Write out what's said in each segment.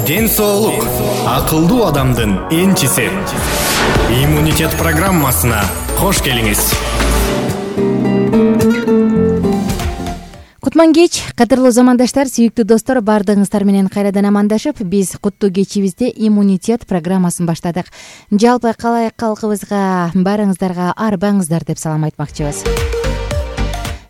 Ден соолук акылдуу адамдын энчиси. Иммунитет программасына кош келиңиз. Кутман кеч, кадырлуу замандаштар, сүйүктүү достор, баардыгыңыздар менен кайрадан амандашып, биз куттуу кечибизде иммунитет программасын баштадык. Жалпы калай калкыбызга, баарыңыздарга арбаңыздар деп салам айтмакчыбыз.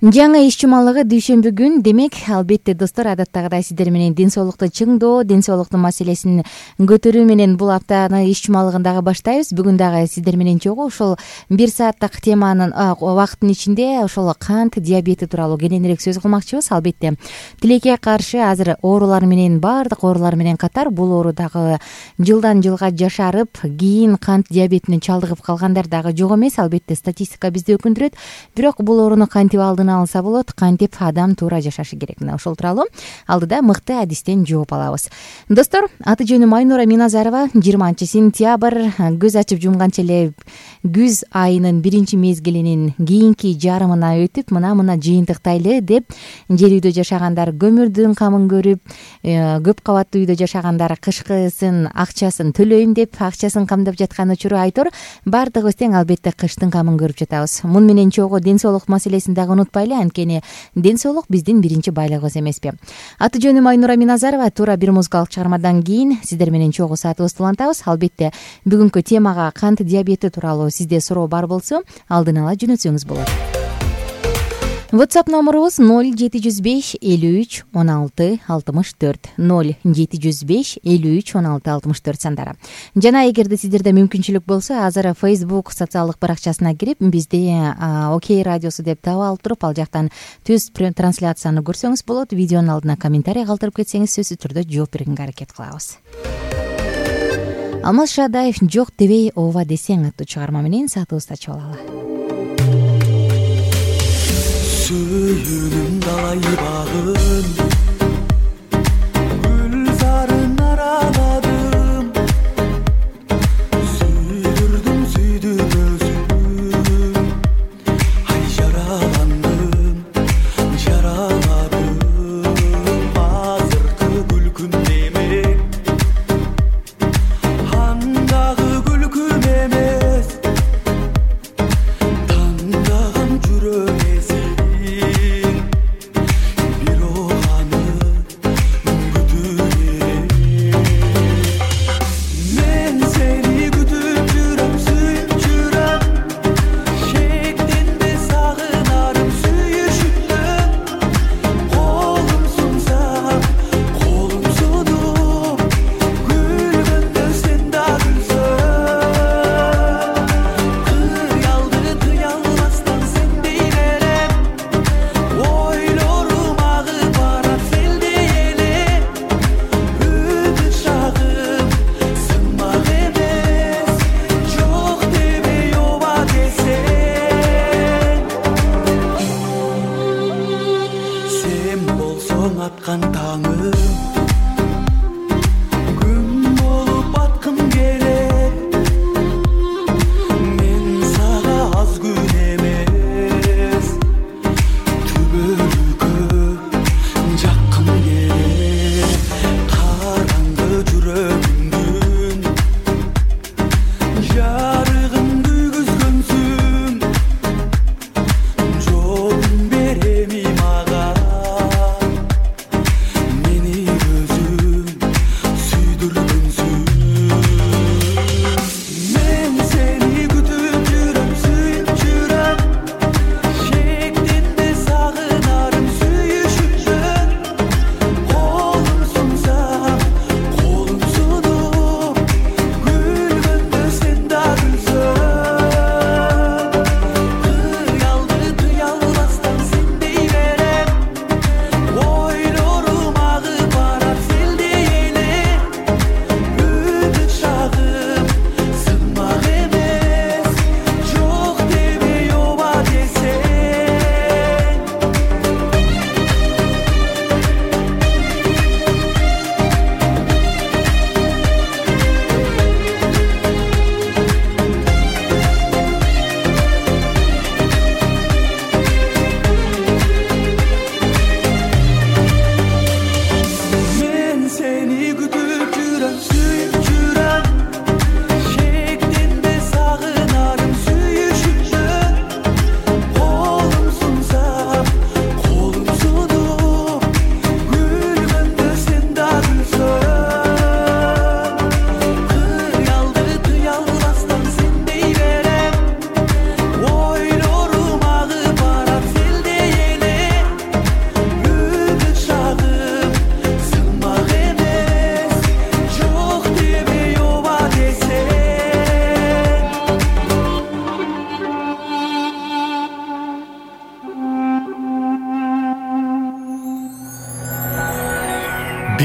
Жаңы иш жумалыгы дүйшөмбү күн. Демек, албетте достор, адаттагыдай сиздер менен ден соолукту чыңдоо, ден соолуктун маселесин көтөрүү менен бул аптаны иш жумалыгын дагы баштайбыз. Бүгүн дагы сиздер менен чогуу ошол 1 сааттык теманын убакыттын ичинде ошол кант диабети тууралуу кененирээк сөз кылмакчыбыз. Албетте, тилекке каршы азыр оорулар менен, баардык оорулар менен катар бул оору дагы жылдан жылга жашарып, кийин кант диабетине чалдыгып калгандар дагы жок эмес. Албетте, статистика бизди өкүндүрөт. Бирок бул ооруну кантип алса болот, кантип адам туура жашашы керек. Мына ошол тууралуу алдыда мыкты адистен жооп алабыз. Достор, аты жөнүм Айнура Миназарова. 20-сентябрь, көз ачып жумганча эле күз айынын биринчи мезгилинин кийинки жарымына өтүп, мына жыйынтыктайлы деп жер үйдө жашагандар көмүрдүн камын көрүп, көп кабаттуу үйдө жашагандар кышкысын акчасын төлөйм деп акчасын камдап жаткан учуру айтор. Баардыгыбыз тең албетте кыштын камын көрүп жатабыз. Муну менен чогуу ден соолук маселесин дагы унутпайлы, анткени ден соолук биздин биринчи байлыгыбыз эмеспи. Аты жөнүм Айнура Миназарова. Туура бир музыкалык чыгармадан кийин сиздер менен чогуу саатыбызды улантабыз. Албетте, бүгүнкү темага кант диабети тууралуу сизде суроо бар болсо, алдын ала жөнөтсөңүз болот. WhatsApp номерубуз 0705 53 16 64 0705 53 16 64 сандары. Жана эгерде сиздерде мүмкүнчүлүк болсо, азыр Facebook социалдык баракчасына кирип, бизди Окей радиосу деп таап алып туруп, ал жактан түз трансляцияны көрсөңүз болот. Видеонун алдына комментарий калтырып кетсеңиз, сөзсүз түрдө жооп бергенге аракет кылабыз. Алмаз Шадаев «Жок дебей ооба десең» аттуу чыгарма менен саатыбызды ачып алалы. Сүйүнүм далай багын, гүл сарын араладым, сүйдүм өзүм, ай жараландым, азыркы күлкүм демек, андагы күлкүм эмес, тандаган жүрөк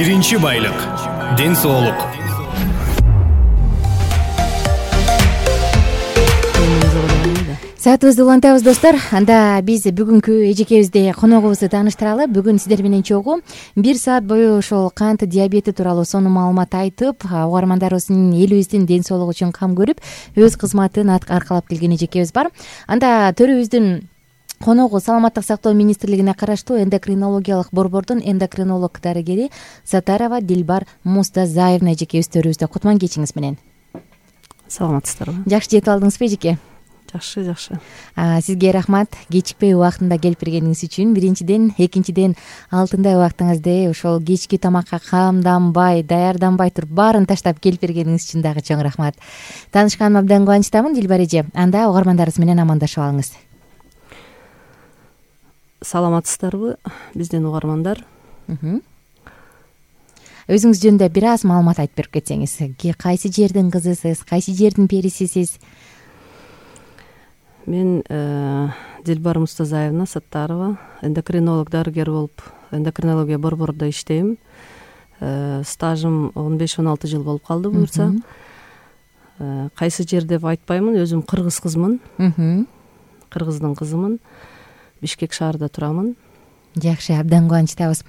биринчи байлык — ден соолук. Саатыбызды улантабыз достор. Анда биз бүгүнкү эжекебизди коногубузду тааныштыралы. Бүгүн сиздер менен чогуу 1 саат бою ошол кант диабети тууралуу сонун маалымат айтып, угармандарыбыздын элибиздин ден соолугу үчүн кам көрүп, өз кызматын аркалап келген эжекебиз бар. Анда төрүбүздүн коногу Саламаттык сактоо министрлигине караштуу эндокринологиялык борбордун эндокринолог дарыгери Сатарова Дилбар Мустазаевна эжекебиз төрүбүздө. Кутман кечиңиз менен. Саламатсыздарбы? Жакшы жетип алдыңызбы эжеке? Жакшы. Сизге рахмат кечикпей убактында келип бергениңиз үчүн. Биринчиден, экинчиден алтындай убактыңызды ошол кечки тамакка камданбай, даярданбай туруп баарын таштап келип бергениңиз үчүн дагы чоң рахмат. Таанышканыма абдан кубанычтамын, Дилбар эже. Анда угармандарыбыз менен амандашып алыңыз. Саламатсыздарбы, биздин угармандар? Өзүңүз жөнүндө бир аз маалымат айтып берип кетсеңиз. Кайсы жердин кызысыз, кайсы жердин перисисиз? Мен Дилбар Мустазаевна Саттарова, эндокринолог дарыгер болуп, эндокринология борборунда иштейм. Стажым 15-16 жыл болуп калды буюрса. Кайсы жер деп айтпаймын, өзүм кыргыз кызмын. Кыргыздын кызымын. Бишкек шаарында турамын. Жакшы, абдан кубанычтабыз.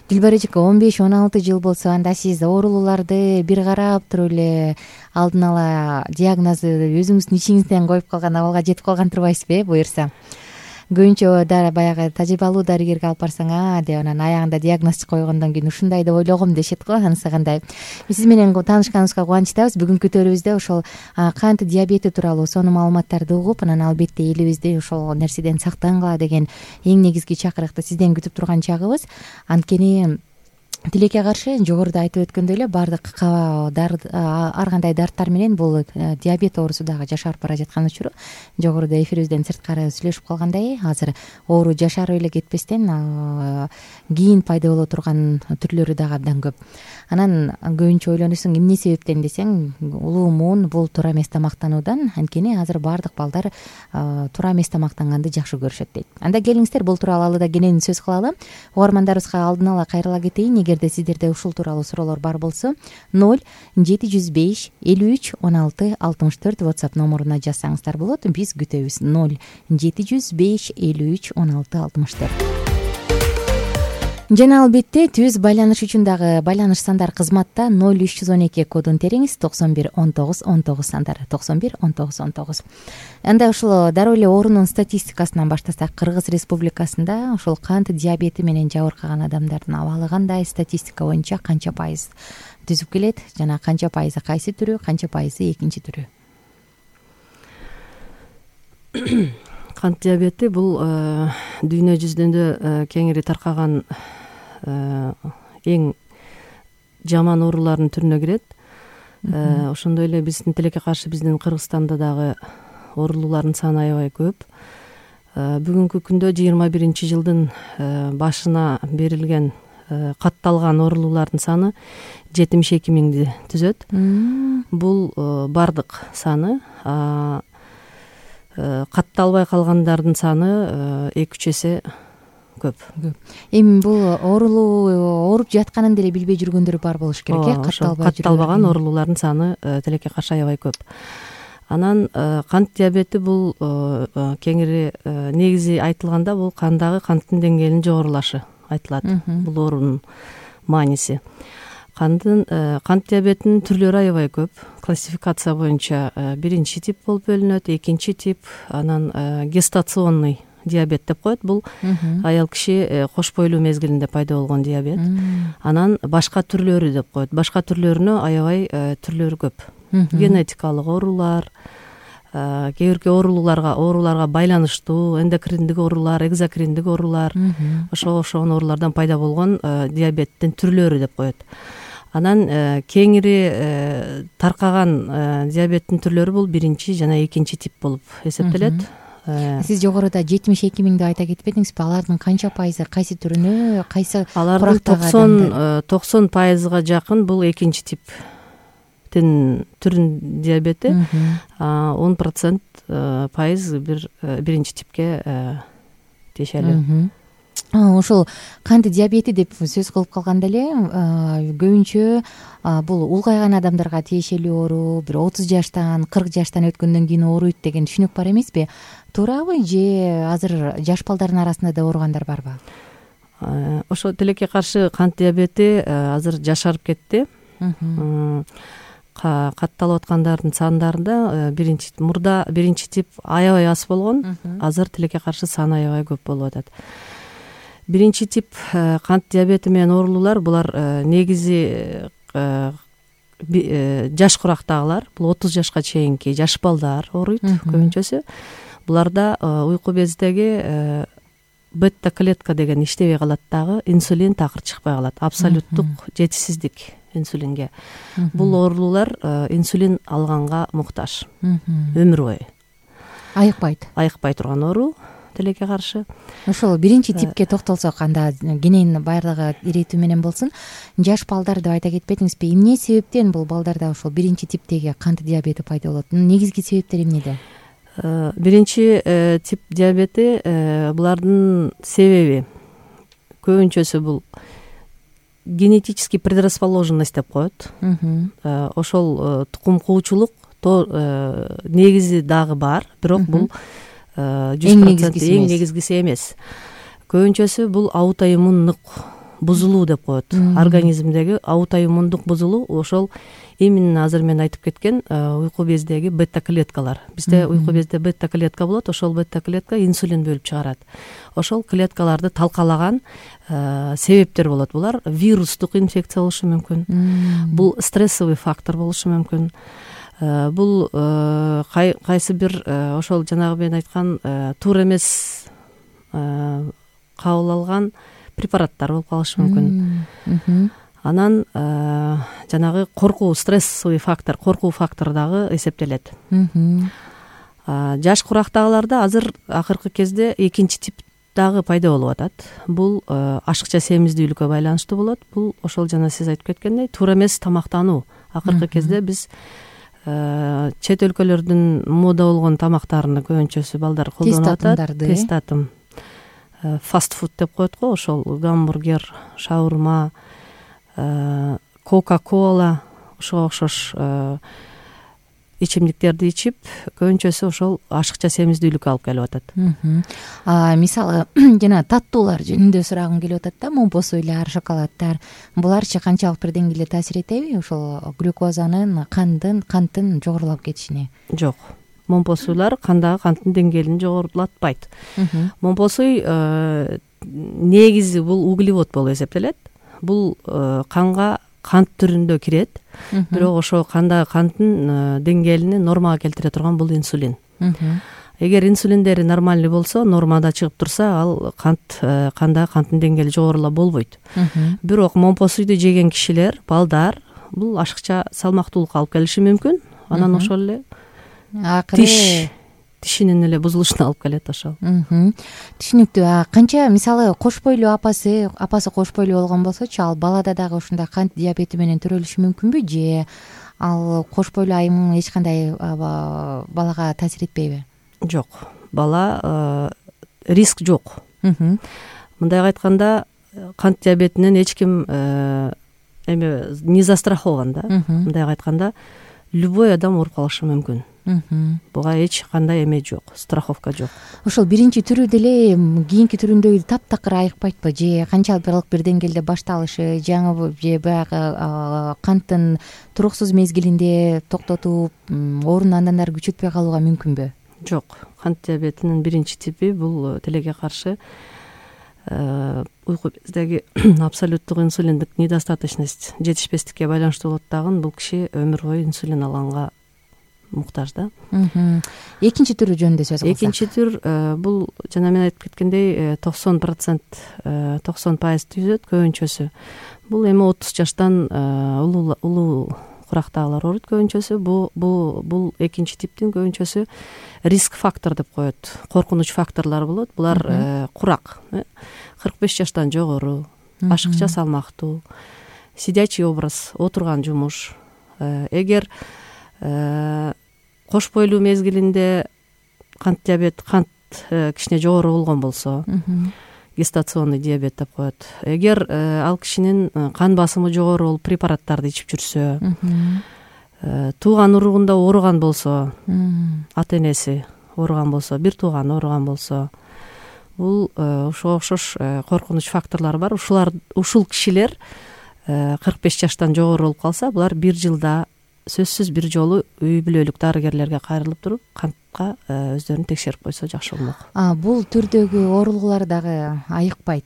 Дилбар эжеке, 15-16 жыл болсо, анда сиз оорулууларды бир карап туруп эле алдын ала диагнозду өзүңүздүн ичиңизден коюп калган абалга жетип калган турбайсызбы, буюрса? Көбүнчө баягы тажрыйбалуу дарыгерге алып барсаң, деп анан аягында диагноз койгондон кийин ушундай деп ойлогом дешет го, анысы кандай? Сиз менен таанышканыбызга кубанычтабыз. Бүгүнкү төрүбүздө ошол кант диабети тууралуу сонун маалыматтарды угуп, анан албетте элибизди ошол нерседен сактангыла деген эң негизги чакырыкты сизден күтүп турган чагыбыз. Анткени тилекке каршы жогоруда айтып өткөндөй эле баардык ар кандай дарттар менен бул диабет оорусу дагы жашарып бара жаткан учуру. Жогоруда эфирибизден сырткары сүйлөшүп калгандай, азыр оору жашарып эле кетпестен кийин пайда боло турган түрлөрү дагы абдан көп. Анан көбүнчө ойлоносуң, эмне себептен десең, улуу муун бул туура эмес тамактануудан. Анткени азыр баардык балдар туура эмес тамактанганды жакшы көрүшөт дейт. Анда келиңиздер, бул тууралуу алыда кенен сөз кылалы. Угармандарыбызга алдын ала кайрыла кетейин. Эгерде сиздерде ушул тууралуу суроолор бар болсо, 0-705 53 16 64 WhatsApp номуруна жазсаңыздар болот. Биз күтөбүз. 0-705 53 16 64. Жана албетте түз байланыш үчүн дагы байланыш сандар кызматта 0312 кодун териңиз, 91 19 19 сандар, 91 19 19. Анда ушул дароо эле оорунун статистикасынан баштасак, Кыргыз Республикасында ушул кант диабети менен жабыркаган адамдардын абалы кандай, статистика боюнча канча пайыз түзүп келет жана канча пайызы кайсы түрү, канча пайызы экинчи түрү? Кант диабети бул дүйнө жүзүндө кеңири таркаган эң жаман оорулардын түрүнө кирет. Ошондой эле биздин тилекке каршы биздин Кыргызстанда дагы оорулуулардын саны аябай көп. Бүгүнкү күндө 21 жылдын башына берилген катталган оорулуулардын саны 72 миңди түзөт. Бул бардык саны. Катталбай калгандардын саны 2-3 эсе көп. Эми бул ооруп жатканын деле билбей жүргөндөр бар болуш керек, катталбаган оорулуулардын саны тилекке каршы аябай көп. Анан кант диабети бул кеңири негизи айтылганда бул кандагы канттын деңгээлинин жогорулашы айтылат. Бул оорунун мааниси. Кант диабетинин түрлөрү аябай көп. Классификация боюнча биринчи тип болуп бөлүнөт, экинчи тип, анан гестационный диабет деп коет. Бул аял киши кош бойлуу мезгилинде пайда болгон диабет. Анан башка түрлөрү деп коет. Башка түрлөрүнө аябай түрлөрү көп. Генетикалык оорулар, кээ бирки ооруларга байланыштуу эндокриндик оорулар, экзокриндик оорулар, ошогон оорулардан пайда болгон диабеттин түрлөрү деп коет. Анан кеңири таркаган диабеттин түрлөрү бул биринчи жана экинчи тип болуп эсептелет. Сиз жогоруда 72 миңди айта кетпедиңизби? Алардын канча пайызы кайсы түрүнө, кайсы алардын 90% жакын бул экинчи типтин түрүн диабети, 10% пайыз биринчи типке тиешелүү. ошол кант диабети деп сөз кылып калганда эле көбүнчө бул улгайган адамдарга тиешелүү оору, бир 30 жаштан 40 жаштан өткөндөн кийин ооруйт деген түшүнүк бар эмеспи? Туурабы же азыр жаш балдардын арасында да ооругандар барбы? Ошо тилекке каршы кант диабети азыр жашарып кетти. Катталып аткандардын сандарында мурда биринчи тип аябай аз болгон, азыр тилекке каршы саны аябай көп болуп атат. Биринчи тип кант диабети менен оорулуулар булар негизи жаш курактагылар, бул 30 жашка чейинки жаш балдар ооруйт көбүнчөсү. Буларда уйку бездеги бета клетка деген иштебей калат, дагы инсулин такыр чыкпай калат, абсолюттук жетишсиздик инсулинге. Бул оорулуулар инсулин алганга муктаж, өмүр бою айыкпай турган оору тилекке каршы. Ошол биринчи типке токтолсок, анда кенен баардыгы иретүү менен болсун. Жаш балдар деп айта кетпедиңизби? Эмне себептен бул балдарда ошол биринчи типтеги кант диабети пайда болот? Негизги себептер эмнеде? Биринчи тип диабети булардын себеби көбүнчөсү бул генетический предрасположенность деп коет. Ошол тукум куучулук негизи дагы бар, бирок бул 100% эң негизгиси эмес. Көбүнчөсү бул аутоиммундук бузулуу деп коет. Организмдеги аутоиммундук бузулуу, ошол именно азыр мен айтып кеткен уйку бездеги бета клеткалар. Бизде уйку безде бета клетка болот, ошол бета клетка инсулин бөлүп чыгарат. Ошол клеткаларды талкалаган себептер болот. Булар вирустук инфекция болушу мүмкүн. Бул стрессовый фактор болушу мүмкүн. Бул кайсы бир ошол жанагы мен айткан туура эмес кабыл алган препараттар болуп калышы мүмкүн. Анан жанагы коркуу, стрессовый фактор, коркуу фактору дагы эсептелет. Жаш курактагыларда азыр акыркы кезде экинчи тип дагы пайда болуп атат. Бул ашыкча семиздүүлүккө байланыштуу болот. Бул ошол жана сиз айтып кеткендей туура эмес тамактануу. Акыркы кезде биз чет өлкөлөрдүн мода болгон тамактарын көбүнчөсү балдар колдонуп атат. Тестатым, фастфуд деп коет го, ошол гамбургер, шаурма, кока-кола, ошого окшош ичимдиктерди ичип, көбүнчөсү ошол ашыкча семиздүүлүккө алып келип атат. Мисалы жана таттуулар жөнүндө сурагым келип атат да, момпосуйлар, шоколаддар, буларчы канчалык бир деңгээлде таасир этеби ошол глюкозанын, канттын жогорулап кетишине? Жок. Момпосуйлар кандагы канттын деңгээлин жогорулатпайт. Момпосуй негизи бул углевод болуп эсептелет. Бул канга кант түрүндө кирет, бирок ошо кандагы канттын деңгээлин нормага келтире турган бул инсулин. Эгер инсулиндери нормальный болсо, нормада чыгып турса, ал кандагы канттын деңгээли жогорулап болбойт. Бирок момпосуйду жеген кишилер, балдар, бул ашыкча салмактуулукка алып келиши мүмкүн. Анан ошол эле тишинин эле бузулушуна алып келет ошол. Түшүнүктүү. Канча мисалы кош бойлуу апасы кош бойлуу болгон болсочу, ал балада дагы ушундай кант диабети менен төрөлүшү мүмкүнбү, же ал кош бойлуу айым эч кандай балага таасир этпейби? Жок. Бала риск жок. Мындай айтканда, кант диабетинен эч ким не застрахован да. Мындай айтканда, любой адам ооруп калышы мүмкүн. Буга эч кандай эме жок, страховка жок. Ошол биринчи түрү деле кийинки түрүндөгү таптакыр айыкпайтпы, же канчалык бир деңгээлде башталышы, же баягы канттын туруксуз мезгилинде токтотуп, оорунун андан ары күчөтпөй калууга мүмкүнбү? Жок. Кант диабетинин биринчи типи бул тилекке каршы уйку бездеги абсолюттук инсулиндик недостаточность, жетишпестикке байланыштуу болот дагы. Бул киши өмүр бою инсулин алганга муктаж да. Экинчи түрү жөнүндө сөз кылсак. Экинчи түр бул жана мен айтып кеткендей 90% түзөт көбүнчөсү. Бул эми 30 жаштан улуу курактагылар ооруйт көбүнчөсү. Бул экинчи типтин көбүнчөсү риск фактор деп коет. Коркунуч факторлор болот. Булар курак, 45 жаштан жогору, ашыкча салмактуу, сидячий образ, отурган жумуш. Эгер кош бойлуу мезгилинде кант кичине жогору болгон болсо, гестационный диабет деп коет. Эгер ал кишинин кан басымы жогору болуп препараттарды ичип жүрсө, тууган уругунда ооруган болсо, ата энеси ооруган болсо, бир тууганы ооруган болсо, бул ошого окшош коркунуч факторлор бар. Ушул кишилер 45 жаштан жогору болуп калса, булар бир жылда сөзсүз бир жолу үй бүлөлүк дарыгерлерге кайрылып туруп кантка өздөрүн текшерип койсо жакшы болмок. Бул түрдөгү оорулуулар дагы айыкпайт.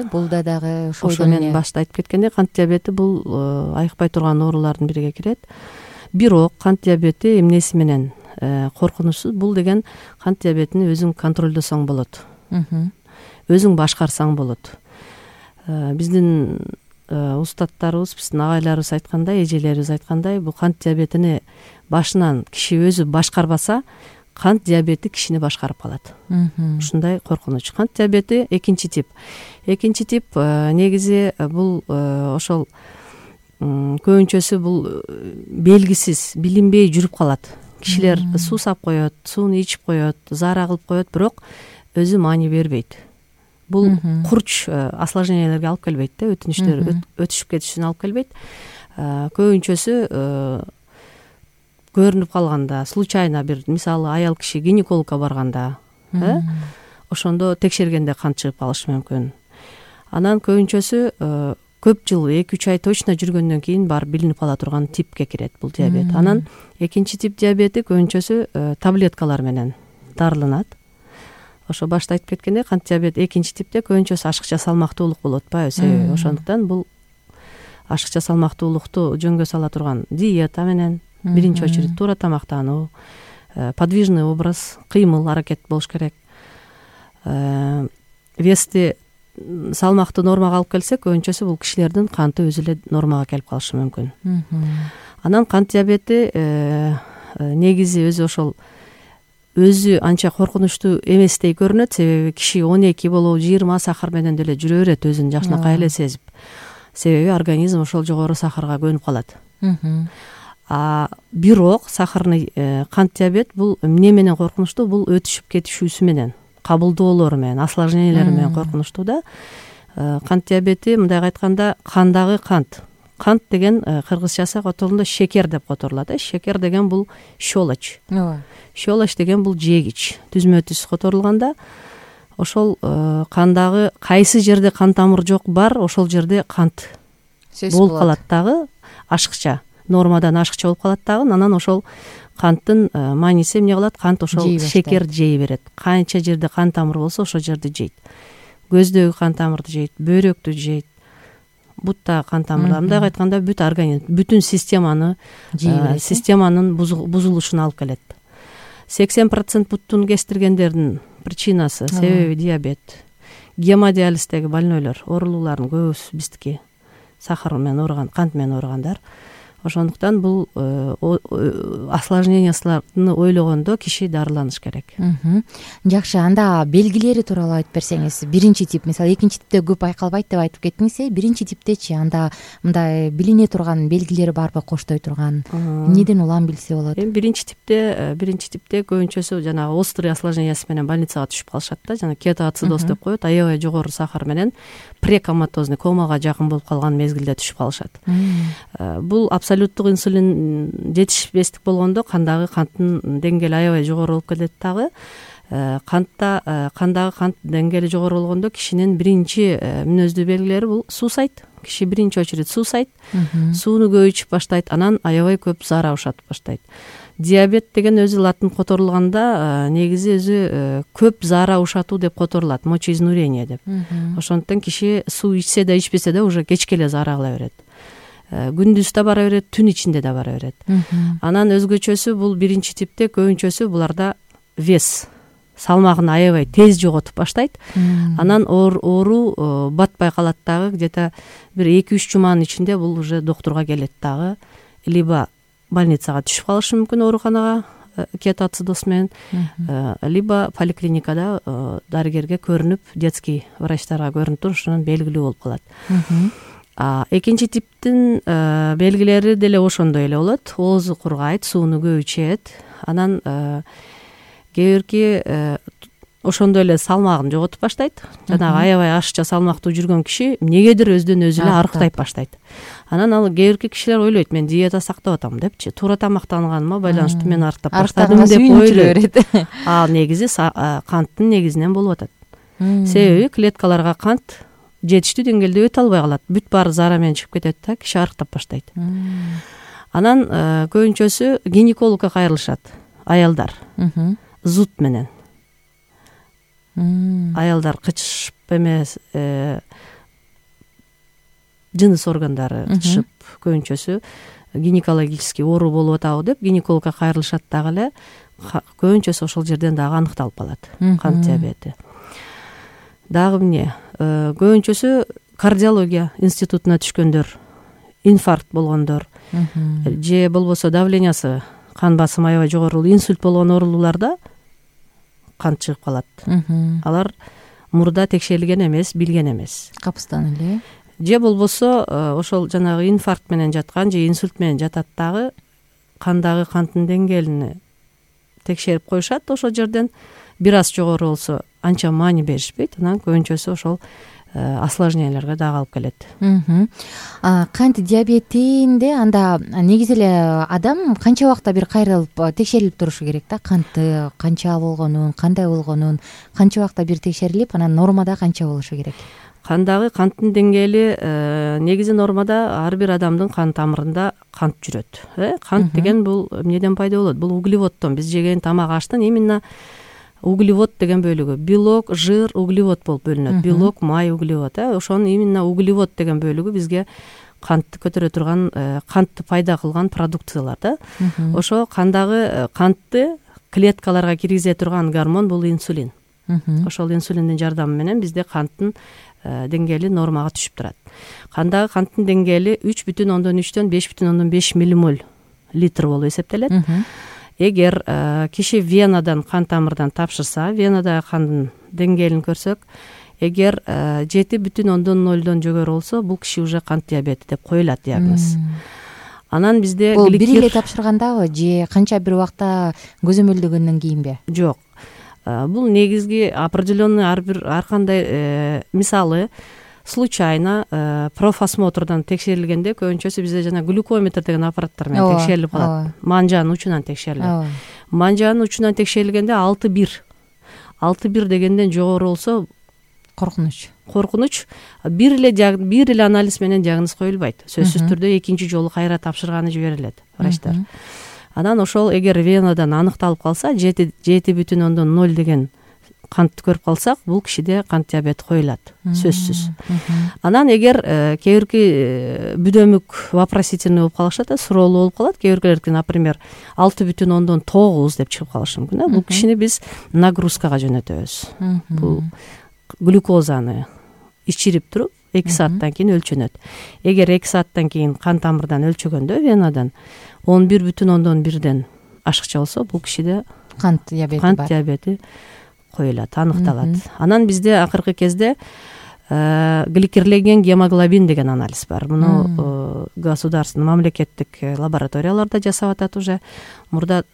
Бул дагы ошо мен башта айтып кеткендей, кант диабети бул айыкпай турган оорулардын бириге кирет. Бирок кант диабети эмнеси менен коркунучсуз? Бул деген кант диабетини өзүң контролдосоң болот. Өзүң башкарсаң болот. Биздин устаттарыбыз, биздин агайларыбыз айткандай, эжелерибиз айткандай, бул кант диабетини башынан киши өзү башкарбаса, кант диабети кишини башкарып калат. Ушундай коркунуч. Кант диабети экинчи тип. Экинчи тип негизи бул ошол көбүнчөсү бул белгисиз, билинбей жүрүп калат. Кишилер суу сап коет, сууну ичип коет, заара кылып коет, бирок өзү маани бербейт. Бул курч осложнениялерге алып келбейт да, өтүнүчтөр өтүшүп кетишине алып келбейт. Көбүнчөсү көрүнүп калганда, случайно бир, мисалы, аял киши гинекологко барганда, ошондо текшергенде кант чыгып калышы мүмкүн. Анан көбүнчөсү көп жыл, 2-3 ай точно жүргөндөн кийин барып билинип кала турган типке кирет бул диабет. Анан экинчи тип диабети көбүнчөсү таблеткалар менен дарыланат. Ошо башта айтып кеткендей, кант диабет экинчи типте көбүнчөсү ашыкча салмактуулук болуп атпайбы? Себеби ошондуктан бул ашыкча салмактуулукту жөнгө сала турган диета менен, биринчи очередь туура тамактануу, подвижный образ, кыймыл, аракет болуш керек. Вести, салмакты нормага алып келсе, көбүнчөсү бул кишилердин канты өзү эле нормага келип калышы мүмкүн. Анан кант диабети негизи өзү ошол өзү анча коркунучтуу эместей көрүнөт, себеби киши 12 болобу 20 сахар менен деле жүрө берет, өзүн жакшынакай эле сезип. Себеби организм ошол жогору сахарга көнүп калат. Бирок сахарный кант диабет бул эмне менен коркунучтуу? Бул өтүшүп кетишүүсү менен, кабылдоолору менен, осложнениялери менен коркунучтуу да. Кант диабети, мындайга айтканда, кандагы кант. Кант деген кыргызчасы которулганда шекер деп которулат. Шекер деген бул щелочь. Щелочь деген бул жегич. Түзмө түз которулганда ошол кандагы кайсы жерде кан тамыр жок бар, ошол жерде кант болуп калат дагы, ашыкча, нормадан ашыкча болуп калат дагы. Анан ошол канттын мааниси эмне кылат? Кант ошол шекер жей берет. Канча жерде кан тамыр болсо, ошол жерди жейт. Көздөгү кан тамырды жейт, бөйрөктү жейт, бутта кан тамырлар. Мындайга айтканда бүт организм, бүтүн системанын бузулушуна алып келет. 80% буттун кестиргендердин причинасы, себеби диабет. Гемодиализдеги больнойлор, оорулуулардын көбүсү биздики сахар менен ооруган, кант менен ооругандар. Ошондуктан бул осложнениясыларды ойлогондо киши дарыланыш керек. Жакшы, анда белгилери тууралуу айтып берсеңиз. Биринчи тип, мисалы экинчи типте көп айкалбайт деп айтып кеттиңиз, биринчи типтечи анда мындай билине турган белгилери барбы, коштой турган? Эмнеден улам билсе болот? Биринчи типте көбүнчөсү жанагы острый осложнениясы менен больницага түшүп калышат да, жана кетоацидоз деп коет, аябай жогору сахар менен прекоматозный, комага жакын болуп калган мезгилде түшүп калышат. Бул абсолюттук инсулин жетишпестик болгондо кандагы канттын деңгээли аябай жогору болуп кетет дагы. Кандагы кант деңгээли жогору болгондо кишинин биринчи мүнөздүү белгилери бул суусайт. Киши биринчи очередь суусайт, сууну көп ичип баштайт, анан аябай көп заара ушатып баштайт. Диабет деген өзү латын которулганда негизи өзү көп заара ушатуу деп которулат, мочеизнурение деп. Ошондуктан киши суу ичсе да ичпесе да уже кечке эле заара кыла берет. Күндүз да бара берет, түн ичинде да бара берет. Анан өзгөчөсү бул биринчи типте көбүнчөсү буларда вес, салмагын аябай тез жоготуп баштайт. Анан оору батпай калат дагы, где-то бир 2-3 жуманын ичинде бул уже доктурга келет дагы. Либо больницага түшүп калышы мүмкүн, ооруканага кетоацидоз менен, либо поликлиникада дарыгерге көрүнүп, детский врачтарга көрүнүп туруп, ошонун белгилүү болуп калат. Экинчи типтин белгилери деле ошондой эле болот. Оозу кургайт, сууну көп ичет. Анан кээ бирки ошондой эле салмагын жоготуп баштайт. Жанагы аябай ашыкча салмактуу жүргөн киши эмнегедир өзүнөн өзү эле арыктайт баштайт. Анан ал кээ бирки кишилер ойлойт, мен диета сактап атам депчи, туура тамактанганыма байланыштуу мен арыктап баштадым деп ойлойт. Ал негизи канттын негизинен болуп атат. Себеби клеткаларга кант жетиштүү деңгээлде өтө албай калат. Бүт баары зара менен чыгып кетет да, киши арыктап баштайт. Анан көбүнчөсү гинекологко кайрылышат аялдар. Зуд менен. Аялдар кычышып эмес, жыныс органдары кычышып, көбүнчөсү гинекологический оору болуп атабы деп гинекологко кайрылышат дагы эле. Көбүнчөсү ошол жерден дагы аныкталып калат кант диабети. Дагы эмне? Көбүнчөсү кардиология институтуна түшкөндөр, инфаркт болгондор, же болбосо давлениясы, кан басымы аябай жогору, инсульт болгон оорулууларда кант чыгып калат. Алар мурда текшерилген эмес, билген эмес. Капыстан эле. Же болбосо ошол жанагы инфаркт менен жаткан же инсульт менен жатат дагы кандагы канттын деңгээлин текшерип коюшат. Ошол жерден бир аз жогору болсо анча маани беришпейт. Анан көбүнчөсү ошол осложненияларга дагы алып келет. Кант диабетинде анда негизи эле адам канча убакта бир кайрылып текшерилип турушу керек да? Канты канча болгонун, кандай болгонун канча убакта бир текшерилип, анан нормада канча болушу керек? Кандагы канттын деңгээли негизи нормада ар бир адамдын кан тамырында кант жүрөт. Кант деген бул эмнеден пайда болот? Бул углеводдон, биз жеген тамак аштын именно углевод деген бөлүгү. Белок, жир, углевод болуп бөлүнөт. Белок, май, углевод. Ошонун именно углевод деген бөлүгү бизге кантты көтөрө турган, кантты пайда кылган продукциялар да. Ошо кандагы кантты клеткаларга киргизе турган гормон бул инсулин. Ошол инсулиндин жардамы менен бизде канттын деңгээли нормага түшүп турат. Кандагы канттын деңгээли 3,3дөн 5,5 миллимоль литр болуп эсептелет. Эгер киши венадан, кан тамырдан тапшырса, венадагы кандын деңгээлин көрсөк, эгер 7,0дон жогору болсо, бул киши уже кант диабети деп коюлат диагноз. Анан бизде бул бир эле тапшыргандабы же канча бир убакта көзөмөлдөгөндөн кийинби? Жок. Бул негизги определенный ар кандай, мисалы случайно профосмотрдан текшерилгенде көбүнчөсү бизде жана глюкометр деген аппараттар менен текшерилип калат. Манжанын учунан текшерилет. Манжанын учунан текшерилгенде 6,1 дегенден жогору болсо коркунуч. Бир эле анализ менен диагноз коюлбайт. Сөзсүз түрдө экинчи жолу кайра тапшырганы жиберилет врачтар. Анан ошол эгер венадан аныкталып калса, 7,0 деген кантты көрүп калсак, бул кишиде кант диабети коюлат, сөзсүз. Анан эгер кээ бирки бүдөмүк вопросительный болуп калышат, суроолуу болуп калат, кээ биркилердики, например, 6,9 деп чыгып калышы мүмкүн. Бул кишини биз нагрузкага жөнөтөбүз. Бул глюкозаны ичирип туруп 2 сааттан кийин өлчөнөт. Эгер 2 сааттан кийин кан тамырдан өлчөгөндө венадан 11,1ден ашыкча болсо, бул кишиде кант диабети коюлат, аныкталат. Анан бизде акыркы кезде гликерленген гемоглобин деген анализ бар. Муну государственный, мамлекеттик лабораторияларда жасап атат уже. Мурда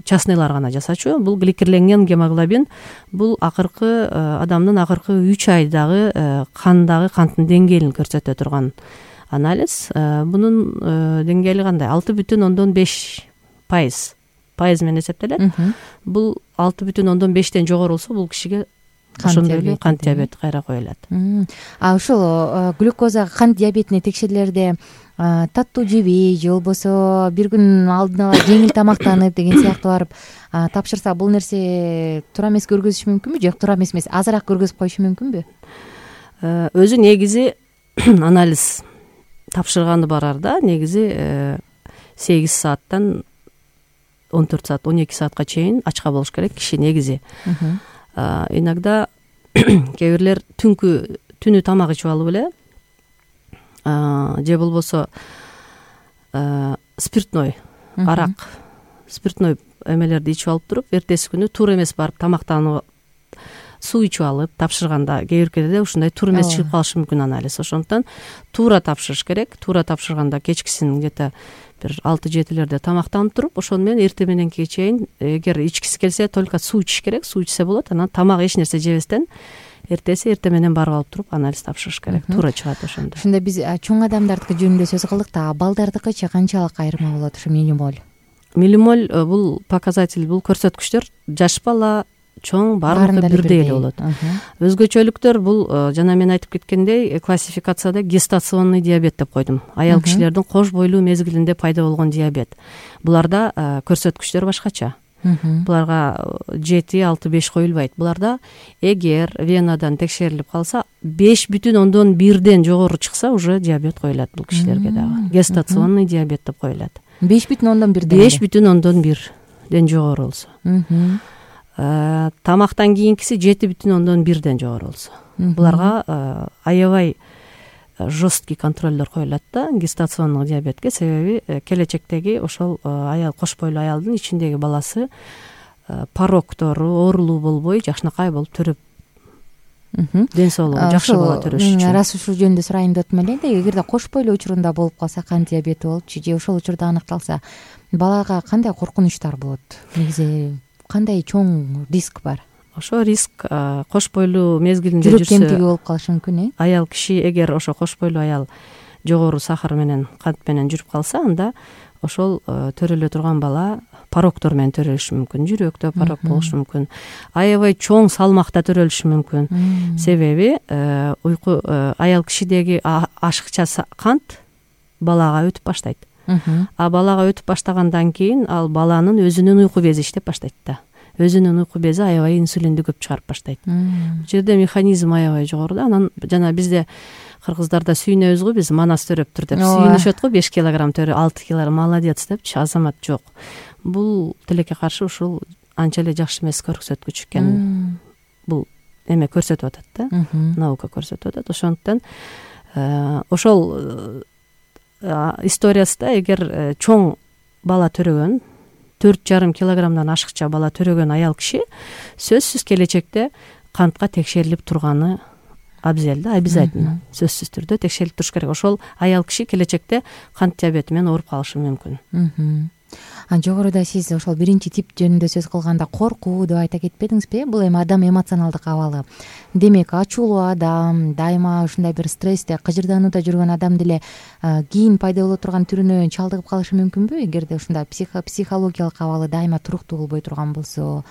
частныйлар гана жасачу. Бул гликерленген гемоглобин бул акыркы адамдын акыркы 3 айдагы кандагы канттын деңгээлин көрсөтө турган анализ. Бунун деңгээли кандай? 6,5% менен эсептелет. Бул 6,5ден жогору болсо, бул кишиге ошондой эле кант диабети кайра коюлат. Ошол глюкоза кант диабетине текшерүүлөрдө таттуу жебей же болбосо бир күн алдын ала жеңил тамактанып деген сыяктуу барып тапшырса, бул нерсе туура эмес көргөзүшү мүмкүнбү? Жок, туура эмес, азыраак көргөзүп коюшу мүмкүнбү? Өзү негизи анализ тапшырганы барарда негизи 8 сааттан 14 саат, 12 саатка чейин ачка болуш керек киши негизи. Иногда кээ бирлер түнү тамак ичип алып эле, же болбосо спиртной, арак, спиртной эмелерди ичип алып туруп, эртеси күнү туура эмес барып тамактанып суу ичип алып тапшырганда кээ биркелерде ушундай туура эмес чыгып калышы мүмкүн анализ. Ошондуктан туура тапшырыш керек. Туура тапшырганда кечкисин где-то бир 6-7 тамактанып туруп, ошону менен эртең мененки чейин эгер ичкиси келсе только суу ичиш керек. Суу ичсе болот. Анан тамак эч нерсе жебестен эртең менен барып алып туруп анализ тапшырыш керек. Туура чыгат ошондо. Ошондо биз чоң адамдардыкы жөнүндө сөз кылдык да, балдардыкычы канчалык айырма болот ушу миллимоль? Миллимоль бул показатель, бул көрсөткүчтөр жаш бала, чоң баардыгы бирдей эле болот. Өзгөчөлүктөр бул жана мен айтып кеткендей классификацияда гестационный диабет деп койдум. Аял кишилердин кош бойлуу мезгилинде пайда болгон диабет. Буларда көрсөткүчтөр башкача. Буларга 7-6-5 коюлбайт. Буларда эгер венадан текшерилип калса 5,1 жогору чыкса уже диабет коюлат бул кишилерге дагы. Гестационный диабет деп коюлат. 5,1 жогору болсо. Тамактан кийинкиси 7,1 жогору болсо. Буларга аябай жесткий контролдор коюлат да гестационный диабетке. Себеби келечектеги ошол аял, кош бойлуу аялдын ичиндеги баласы пороктору оорулуу болбой жакшынакай болуп төрөп, ден соолугу жакшы бала төрөш үчүн. Арасы ушул жөнүндө сурайын деп атам эле. Эгерде кош бойлуу учурунда болуп калса, кант диабети болупчу же ошол учурда аныкталса, балага кандай коркунучтар болот? Негизи кандай чоң риск бар? Ошо риск кош бойлуу мезгилинде жүрөк кемтиги болуп калышы мүмкүн. Аял киши эгер ошо кош бойлуу аял жогору сахар менен, кант менен жүрүп калса, анда ошол төрөлө турган бала пороктор менен төрөлүшү мүмкүн. Жүрөктө порок болушу мүмкүн. Аябай чоң салмакта төрөлүшү мүмкүн. Себеби уйку аял кишидеги ашыкча кант балага өтүп баштайт. А балага өтүп баштагандан кийин ал баланын өзүнүн уйку бези иштеп баштайт да. Өзүнүн уйку бези аябай инсулинди көп чыгарып баштайт. Бул жерде механизм аябай жогору да. Анан жана бизде кыргыздарда сүйүнөбүз го, биз манас төрөптүр деп сүйүнүшөт го. 5 килограмм төрө, 6 килограмм молодец депчи, азамат жок. Бул тилекке каршы ушул анча эле жакшы эмес көрсөткүч экен. Бул эме көрсөтүп атат да. Наука көрсөтүп атат. Ошондуктан ошол историясында эгер чоң бала төрөгөн, 4,5 килограммдан ашыкча бала төрөгөн аял киши сөзсүз келечекте кантка текшерилип турганы абзел да, обязательно сөзсүз түрдө текшерилип туруш керек. Ошол аял киши келечекте кант диабети менен ооруп калышы мүмкүн. Жогоруда сиз ошол биринчи тип жөнүндө сөз кылганда коркуу деп айта кетпедиңизби? Бул эми адам эмоционалдык абалы. Демек, ачуулуу адам, дайыма ушундай бир стрессте, кыжырданууда жүргөн адам деле кийин пайда боло турган түрүнө чалдыгып калышы мүмкүнбү? Эгерде ушундай психологиялык абалы дайыма туруктуу болбой турган болсо.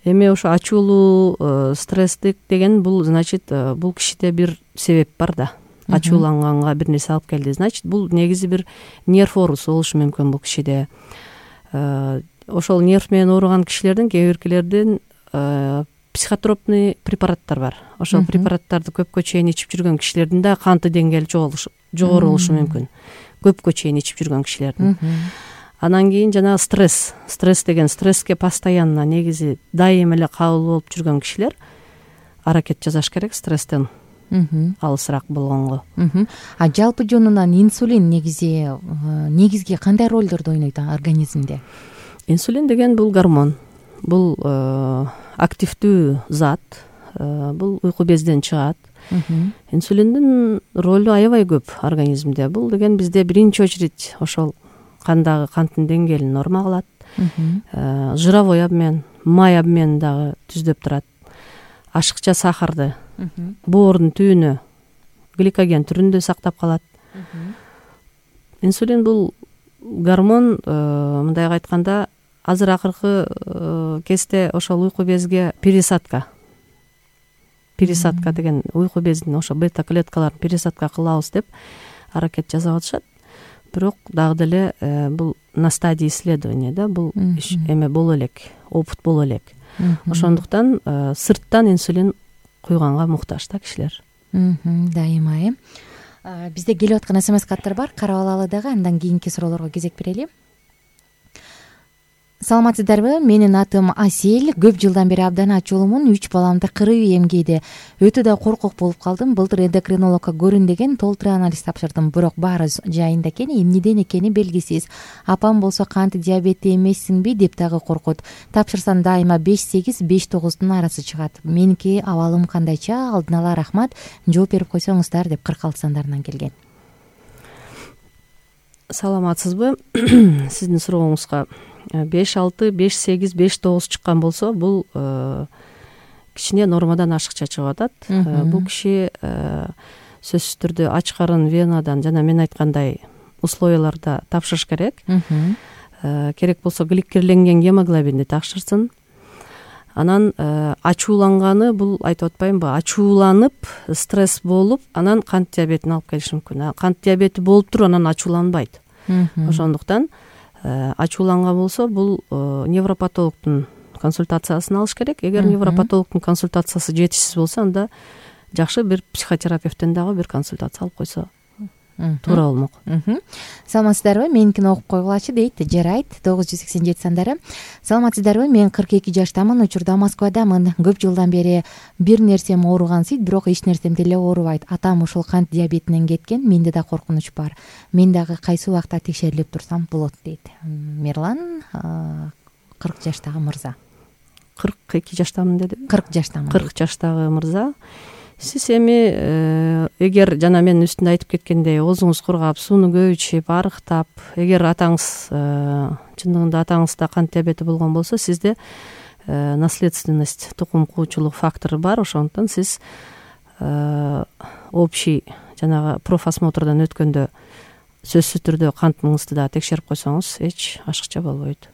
Эми ошо ачуулуу, стресстик деген бул значит бул кишиде бир себеп бар да. Ачууланганга бир нерсе алып келди. Значит, бул негизи бир нерв оорусу болушу мүмкүн бул кишиде. Ошол нерв менен ооруган кишилердин кээ биркилердин психотропный препараттар бар. Ошол препараттарды көпкө чейин ичип жүргөн кишилердин да канты деңгээли жогору болушу мүмкүн. Көпкө чейин ичип жүргөн кишилердин. Анан кийин жана стресс деген стресске постоянно негизи дайыма эле кабыл болуп жүргөн кишилер аракет жасаш керек стресстен алысыраак болгонго. Жалпы жонунан инсулин негизги кандай ролдорду ойнойт организмде? Инсулин деген бул гормон. Бул активдүү зат. Бул уйку безден чыгат. Инсулиндин ролу аябай көп организмде. Бул деген бизде биринчи очередь ошол кандагы канттын деңгээлин норма кылат. Жировой обмен, май обменин дагы түздөп турат. Ашыкча сахарды боордун түбүнө гликоген түрүндө сактап калат. Инсулин бул гормон, мындай айтканда, азыр акыркы кезде ошол уйку безге пересадка деген уйку безин ошо бета клеткаларын пересадка кылабыз деп аракет жасап атышат. Бирок дагы деле бул на стадии исследования да, бул эме боло элек, опыт боло элек. Ошондуктан сырттан инсулин куйганга муктаж да кишилер. Дайыма. Бизде келип аткан СМС-каттар бар, карап алалы дагы, андан кийинки суроолорго кезек берели. Ага, саламатсызбы? Саламатсызбы? Саламатсызбы? Кандай суроо менен чакырдыңыз? Ошо ушул аял кишилердин саламатсыздарбы? Менин атым Асель. Көп жылдан бери абдан ачуулумун. 3 баламды кырып эмгейди. Өтө да коркок болуп калдым. Былтыр эндокринологко көрүн деген толтура анализ тапшырдым. Бирок баары жайында экен, эмнеден экени белгисиз. Апам болсо кант диабети эмессиңби деп дагы коркут. Тапшырсам дайыма 5-8, 5-9дун арасы чыгат. Меники абалым кандайча? Алдын ала рахмат. Жооп берип койсоңуздар деп 46 сандарынан келген. Саламатсызбы? Сиздин сурооңузга 5-6, 5-8, 5-9 чыккан болсо, бул кичине нормадан ашыкча чыгып атат. Бул киши сөзсүз түрдө ач карын венадан жана мен айткандай условияларда тапшырыш керек. Керек болсо гликерленген гемоглобинди тапшырсын. Анан ачууланганы, бул айтып атпаймынбы, ачууланып, стресс болуп, анан кант диабетин алып келиши мүмкүн. Кант диабети болуп туруп анан ачууланбайт. Ошондуктан ачууланган болсо, бул невропатологдун консультациясын алыш керек. Эгер невропатологдун консультациясы жетишсиз болсо, анда жакшы бир психотерапевттен дагы бир консультация алып койсо туура болмок. Саламатсыздарбы? Меникини окуп койгулачы дейт. Жарайт. 987 сандары. Саламатсыздарбы? Мен 42 жаштамын. Учурда Москвадамын. Көп жылдан бери бир нерсем ооругансыйт, бирок эч нерсем деле оорубайт. Атам ушул кант диабетинен кеткен. Менде да коркунуч бар. Мен дагы кайсы убакта текшерилип турсам болот дейт. Мирлан 40 жаштагы мырза. 42 жаштамын деди. 40 жаштамын. 40 жаштагы мырза. Сиз эми эгер жана мен үстүндө айтып кеткендей оозуңуз кургап, сууну көп ичип, арыктап, эгер атаңыз чындыгында атаңызда кант диабети болгон болсо, сизде наследственность, тукум куучулук фактору бар. Ошондуктан сиз общий жанагы профосмотрдон өткөндө сөзсүз түрдө кантыңызды да текшерип койсоңуз эч ашыкча болбойт.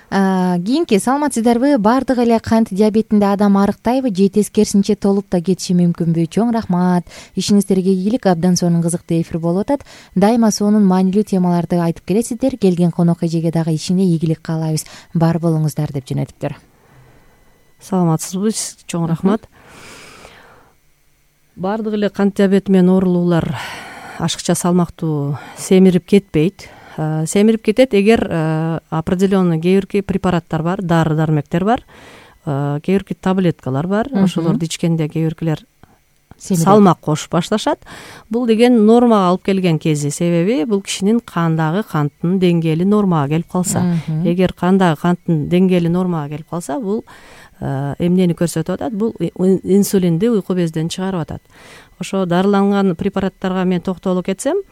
Кийинки, саламатсыздарбы? Бардыгы эле кант диабетинде адам арыктайбы же тескерисинче толуп да кетиши мүмкүнбү? Чоң рахмат. Ишиңиздерге ийгилик. Абдан сонун кызыктуу эфир болуп атат. Дайыма сонун маанилүү темаларды айтып келесиздер. Келген конок эжеге дагы ишине ийгилик каалайбыз. Бар болуңуздар деп жөнөтүптүр. Саламатсызбы? Чоң рахмат. Бардыгы эле кант диабети менен оорулуулар ашыкча салмактуу семирип кетпейт. Семирип кетет эгер определенный кээ бирки препараттар бар, дары-дармектер бар, кээ бирки таблеткалар бар. Ошолорду ичкенде кээ биркилер салмак кошуп башташат. Бул деген нормага алып келген кези. Себеби бул кишинин кандагы канттын деңгээли нормага келип калса, эгер кандагы канттын деңгээли нормага келип калса, бул эмнени көрсөтүп атат? Бул инсулинди уйку безден чыгарып атат. Ошо дарыланган препараттарга мен токтоло кетсем,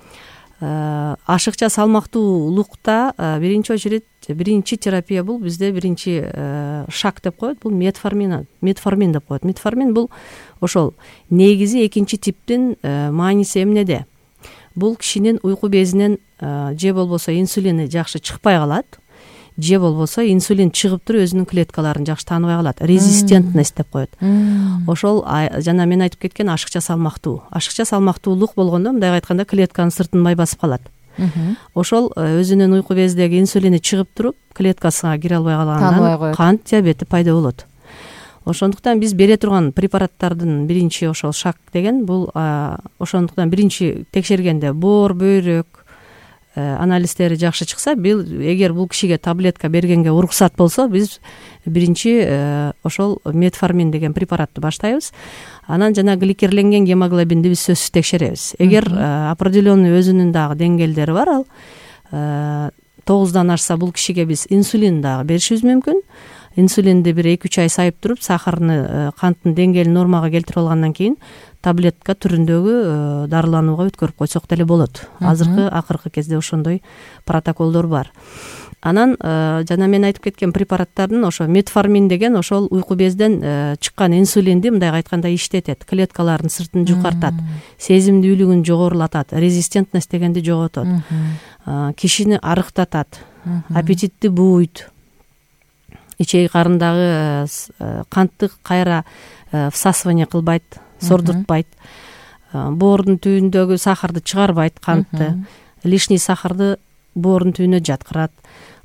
ашыкча салмактуулукта биринчи очередь биринчи терапия бул бизде биринчи шаг деп коет, бул метформин деп коет. Метформин бул ошол негизи экинчи типтин мааниси эмнеде? Бул кишинин уйку безинен же болбосо инсулини жакшы чыкпай калат, же болбосо инсулин чыгып туруп өзүнүн клеткаларын жакшы тааныбай калат. Резистентность деп коет. Ошол жана мен айтып кеткен ашыкча салмактуулук болгондо, мындай айтканда, клетканын сыртын май басып калат. Ошол өзүнүн уйку безиндеги инсулини чыгып туруп клеткасына кире албай калгандан кант диабети пайда болот. Ошондуктан биз бере турган препараттардын биринчи ошол шаг деген бул ошондуктан биринчи текшергенде боор, бөйрөк анализдери жакшы чыкса, эгер бул кишиге таблетка бергенге уруксат болсо, биз биринчи ошол метформин деген препаратты баштайбыз. Анан жана гликерленген гемоглобинди биз сөзсүз текшеребиз. Эгер определенный өзүнүн дагы деңгээлдери бар, ал 9дан ашса, бул кишиге биз инсулин дагы беришибиз мүмкүн. Инсулинди бир 2-3 ай сайып туруп, сахарны, канттын деңгээлин нормага келтирип алгандан кийин таблетка түрүндөгү дарыланууга өткөрүп койсок деле болот. Акыркы кезде ошондой протоколдор бар. Анан жана мен айтып кеткен препараттардын ошо метформин деген ошол уйку безден чыккан инсулинди, мындай айтканда, иштетет, клеткалардын сыртын жукартат, сезимдүүлүгүн жогорулатат, резистентность дегенди жоготот, кишини арыктатат, аппетитти бууйт, ичеги карындагы кантты кайра всасывание кылбайт, сордуртпайт, боордун түбүндөгү сахарды чыгарбайт, кантты, лишний сахарды боордун түбүнө жаткырат.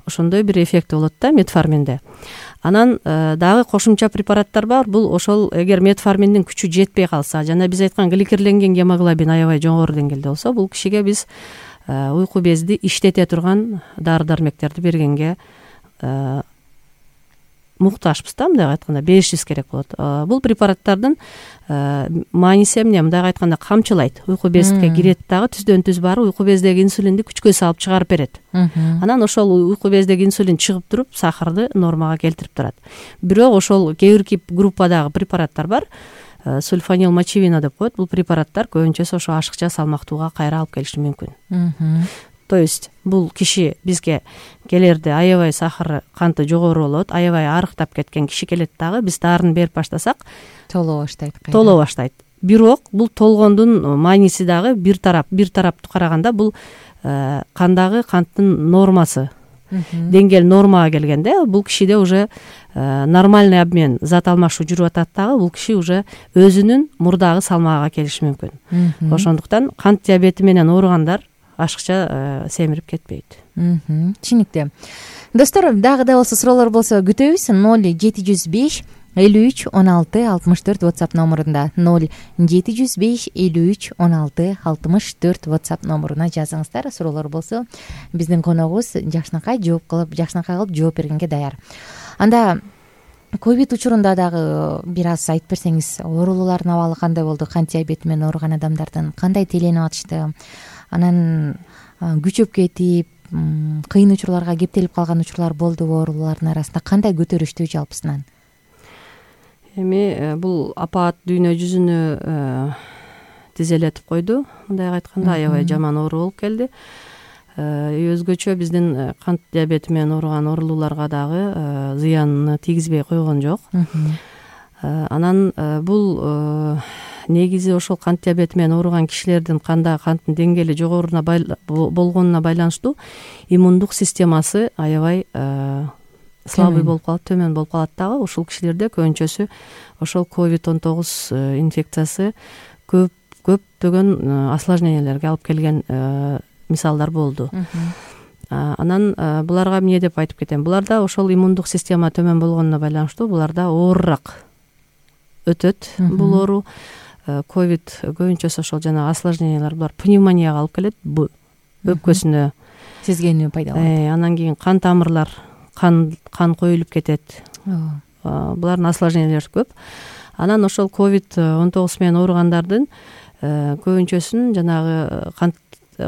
Ошондой бир эффекти болот да метформинде. Анан дагы кошумча препараттар бар. Бул ошол эгер метформиндин күчү жетпей калса, жана биз айткан гликерленген гемоглобин аябай жогору деңгээлде болсо, бул кишиге биз уйку безди иштете турган дары-дармектерди бергенге муктажбыз да, мындай айтканда беришибиз керек болот. Бул препараттардын мааниси эмне? Мындай айтканда камчылайт, уйку безге кирет дагы түздөн түз барып уйку бездеги инсулинди күчкө салып чыгарып берет. Анан ошол уйку бездеги инсулин чыгып туруп сахарды нормага келтирип турат. Бирок ошол кээ бирки группадагы препараттар бар, сульфанил мочевина деп коет. Бул препараттар көбүнчөсү ошо ашыкча салмактууга кайра алып келиши мүмкүн. То есть бул киши бизге келерде аябай сахары, канты жогору болот, аябай арыктап кеткен киши келет дагы, биз дарыны берип баштасак толо баштайт. Бирок бул толгондун мааниси дагы бир тараптуу караганда бул кандагы канттын нормасы, деңгээл нормага келгенде бул кишиде уже нормальный обмен, зат алмашуу жүрүп атат дагы, бул киши уже өзүнүн мурдагы салмагына келиши мүмкүн. Ошондуктан кант диабети менен ооругандар ашыкча семирип кетпейт. Түшүнүктүү. Достор, дагы да болсо суроолор болсо күтөбүз. 0705 53 16 64 WhatsApp номурунда 0705 53 16 64 WhatsApp номуруна жазыңыздар. Суроолор болсо биздин коногубуз Жакшынакай кылып жооп бергенге даяр. Анда ковид учурунда дагы бир аз айтып берсеңиз, оорулуулардын абалы кандай болду? Кант диабети менен ооруган адамдардын кандай тейленип атышты? Анан күчөп кетип, кыйын учурларга кептелип калган учурлар болдубу? Оорулуулардын арасында кандай көтөрүштү жалпысынан? Эми бул апаат дүйнө жүзүнө тизелетип койду. Мындай айтканда аябай жаман оору болуп келди. Өзгөчө биздин кант диабети менен ооруган оорулууларга дагы зыянын тийгизбей койгон жок. Анан бул негизи ошол кант диабети менен ооруган кишилердин кандагы канттын деңгээли жогоруна болгонуна байланыштуу иммундук системасы аябай слабый болуп калат, төмөн болуп калат дагы. Ушул кишилерде көбүнчөсү ошол COVID-19 инфекциясы көптөгөн осложнениялерге алып келген мисалдар болду. Анан буларга эмне деп айтып кетем? Буларда ошол иммундук система төмөн болгонуна байланыштуу буларда оорураак өтөт бул оору. Ковид көбүнчөсү ошол жанагы осложнениялар, булар пневмонияга алып келет, өпкөсүнө сезгенүү пайда болот. Анан кийин кан тамырлар, кан коюлуп кетет. Булардын осложнениялары көп. Анан ошол COVID-19 менен ооругандардын көбүнчөсүнүн жанагы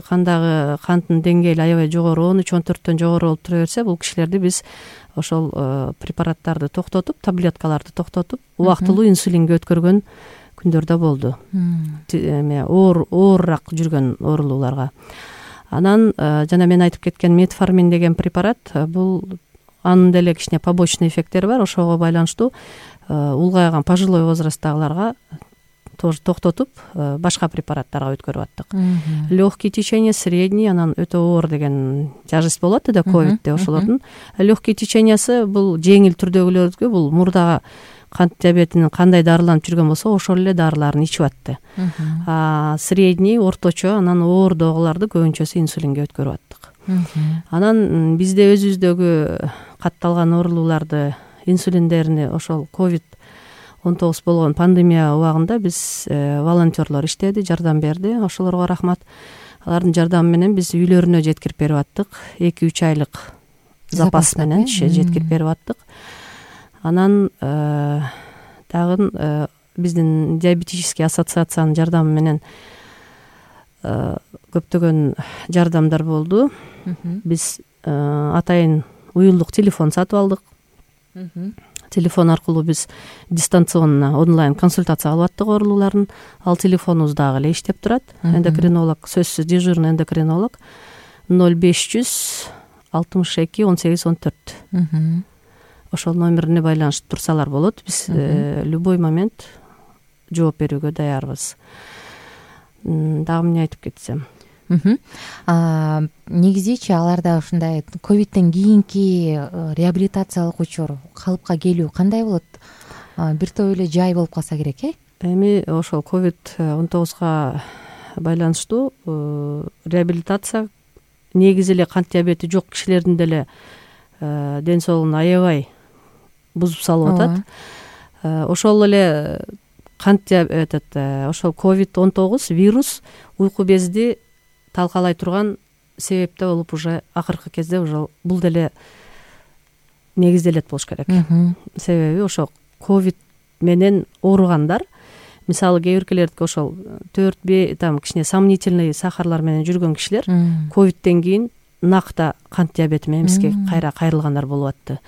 кандагы канттын деңгээли аябай жогору, 13-14төн жогору болуп тура берсе, бул кишилерди биз ошол препараттарды токтотуп, таблеткаларды токтотуп, убактылуу инсулинге өткөргөн күндөр да болду. Оорураак жүргөн оорулууларга. Анан жана мен айтып кеткен метформин деген препарат, бул анын деле кичине побочный эффекттери бар. Ошого байланыштуу улгайган пожилой возрасттагыларга тоже токтотуп, башка препараттарга өткөрүп аттык. Легкий течение, средний, анан өтө оор деген тяжесть болот да ковидде ошолордун. Легкий течениясы бул жеңил түрдөгүлөргө, бул мурдага кант диабетинин кандай дарыланып жүргөн болсо, ошол эле дарыларын ичип атты. Средний, орточо, анан оордогуларды көбүнчөсү инсулинге өткөрүп аттык. Анан бизде өзүбүздөгү катталган оорулууларды, инсулиндерини ошол COVID-19 болгон пандемия убагында биз волонтерлор иштеди, жардам берди. Ошолорго рахмат. Алардын жардамы менен биз үйлөрүнө жеткирип берип аттык. 2-3 айлык запас менен жеткирип берип аттык. Анан дагы биздин диабетический ассоциациянын жардамы менен көптөгөн жардамдар болду. Биз атайын уюлдук телефон сатып алдык. Телефон аркылуу биз дистанционно онлайн консультация алып аттык оорулууларын. Ал телефонубуз дагы эле иштеп турат. Эндокринолог, сөзсүз дежурный эндокринолог 0500 62 18 14. Ошол номерине байланышып турсалар болот. Биз любой момент жооп берүүгө даярбыз. Дагы эмне айтып кетсем? Негизичи аларда ушундай ковидтен кийинки реабилитациялык учур, калыпка келүү кандай болот? Бир топ эле жай болуп калса керек, Эми ошол COVID-19 байланыштуу реабилитация негизи эле кант диабети жок кишилердин деле ден соолугун аябай бузуп салып атат. Ошол эле кант диабети, ошол COVID-19 вирус уйку безди талкалай турган себепте болуп уже акыркы кезде уже бул деле негизделет болуш керек. Себеби ошо ковид менен ооругандар, мисалы кээ биркилердики ошол 4 там кичине сомнительный сахарлар менен жүргөн кишилер ковидтен кийин накта кант диабети менен бизге кайра кайрылгандар болуп атты.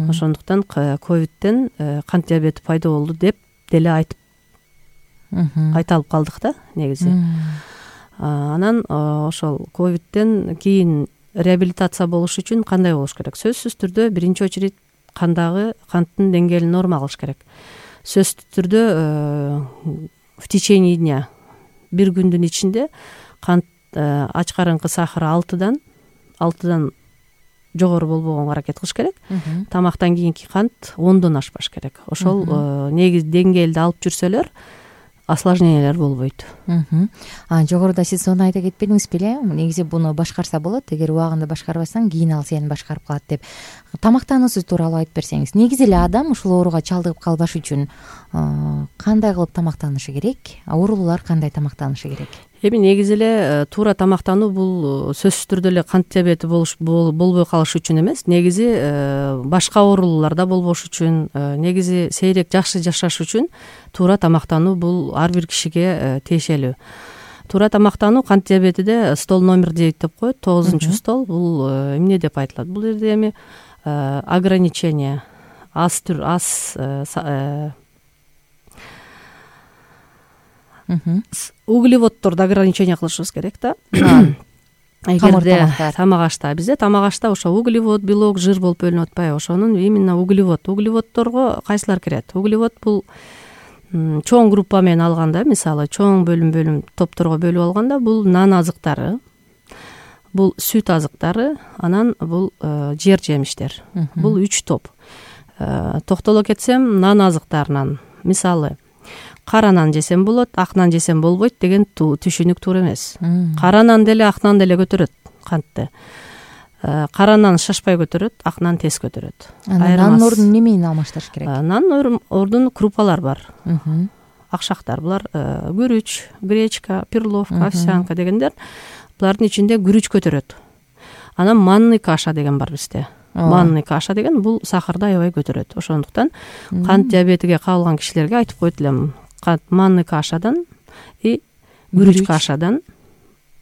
Ошондуктан ковидтен кант диабети пайда болду деп деле айта алып калдык да негизи. Анан ошол ковидтен кийин реабилитация болуш үчүн кандай болуш керек? Сөзсүз түрдө биринчи очередь канттын деңгээлин норма кылыш керек. Сөзсүз түрдө в течение дня, бир күндүн ичинде кант ачкарыңкы сахары 6-дан жогору болбогонго аракет кылыш керек. Тамактан кийинки кант 10дон ашпаш керек. Ошол негиз деңгээлди алып жүрсөлөр осложнениялар болбойт. Жогоруда сиз сону айта кетпедиңиз беле? Негизи буну башкарса болот, эгер убагында башкарбасаң кийин ал сени башкарып калат деп. Тамактануусу тууралуу айтып берсеңиз. Негизи эле адам ушул ооруга чалдыгып калбаш үчүн кандай кылып тамактанышы керек? Оорулуулар кандай тамактанышы керек? Эми негизи эле туура тамактануу бул сөзсүз түрдө эле кант диабети болбой калыш үчүн эмес, негизи башка оорулууларда болбош үчүн, негизи сейрек жакшы жашаш үчүн туура тамактануу бул ар бир кишиге тиешелүү. Туура тамактануу кант диабетиде стол номер 9 деп коет, 9 стол. Бул эмне деп айтылат? Бул жерде эми ограничение углеводдорду ограничение кылышыбыз керек да. Эгерде тамак ашта, бизде тамак ашта ошо углевод, белок, жир болуп бөлүнүп атпайбы? Ошонун именно углеводдорго кайсылар кирет? Углевод бул чоң группа менен алганда, мисалы чоң бөлүм топторго бөлүп алганда, бул нан азыктары, бул сүт азыктары, анан бул жер жемиштер. Бул 3 топ. Токтоло кетсем, нан азыктарынан, мисалы кара нан жесем болот, ак нан жесем болбойт деген түшүнүк туура эмес. Кара нан деле ак нан деле көтөрөт кантты. Кара нан шашпай көтөрөт, ак нан тез көтөрөт. Нан ордун неме менен алмаштырыш керек? Нан ордун крупалар бар. Акшактар, булар күрүч, гречка, перловка, овсянка дегендер. Булардын ичинде күрүч көтөрөт. Анан манный каша деген бар бизде. Манный каша деген бул сахарды аябай көтөрөт. Ошондуктан кант диабетиге кабылган кишилерге айтып койт элем, манный кашадан и күрүч кашадан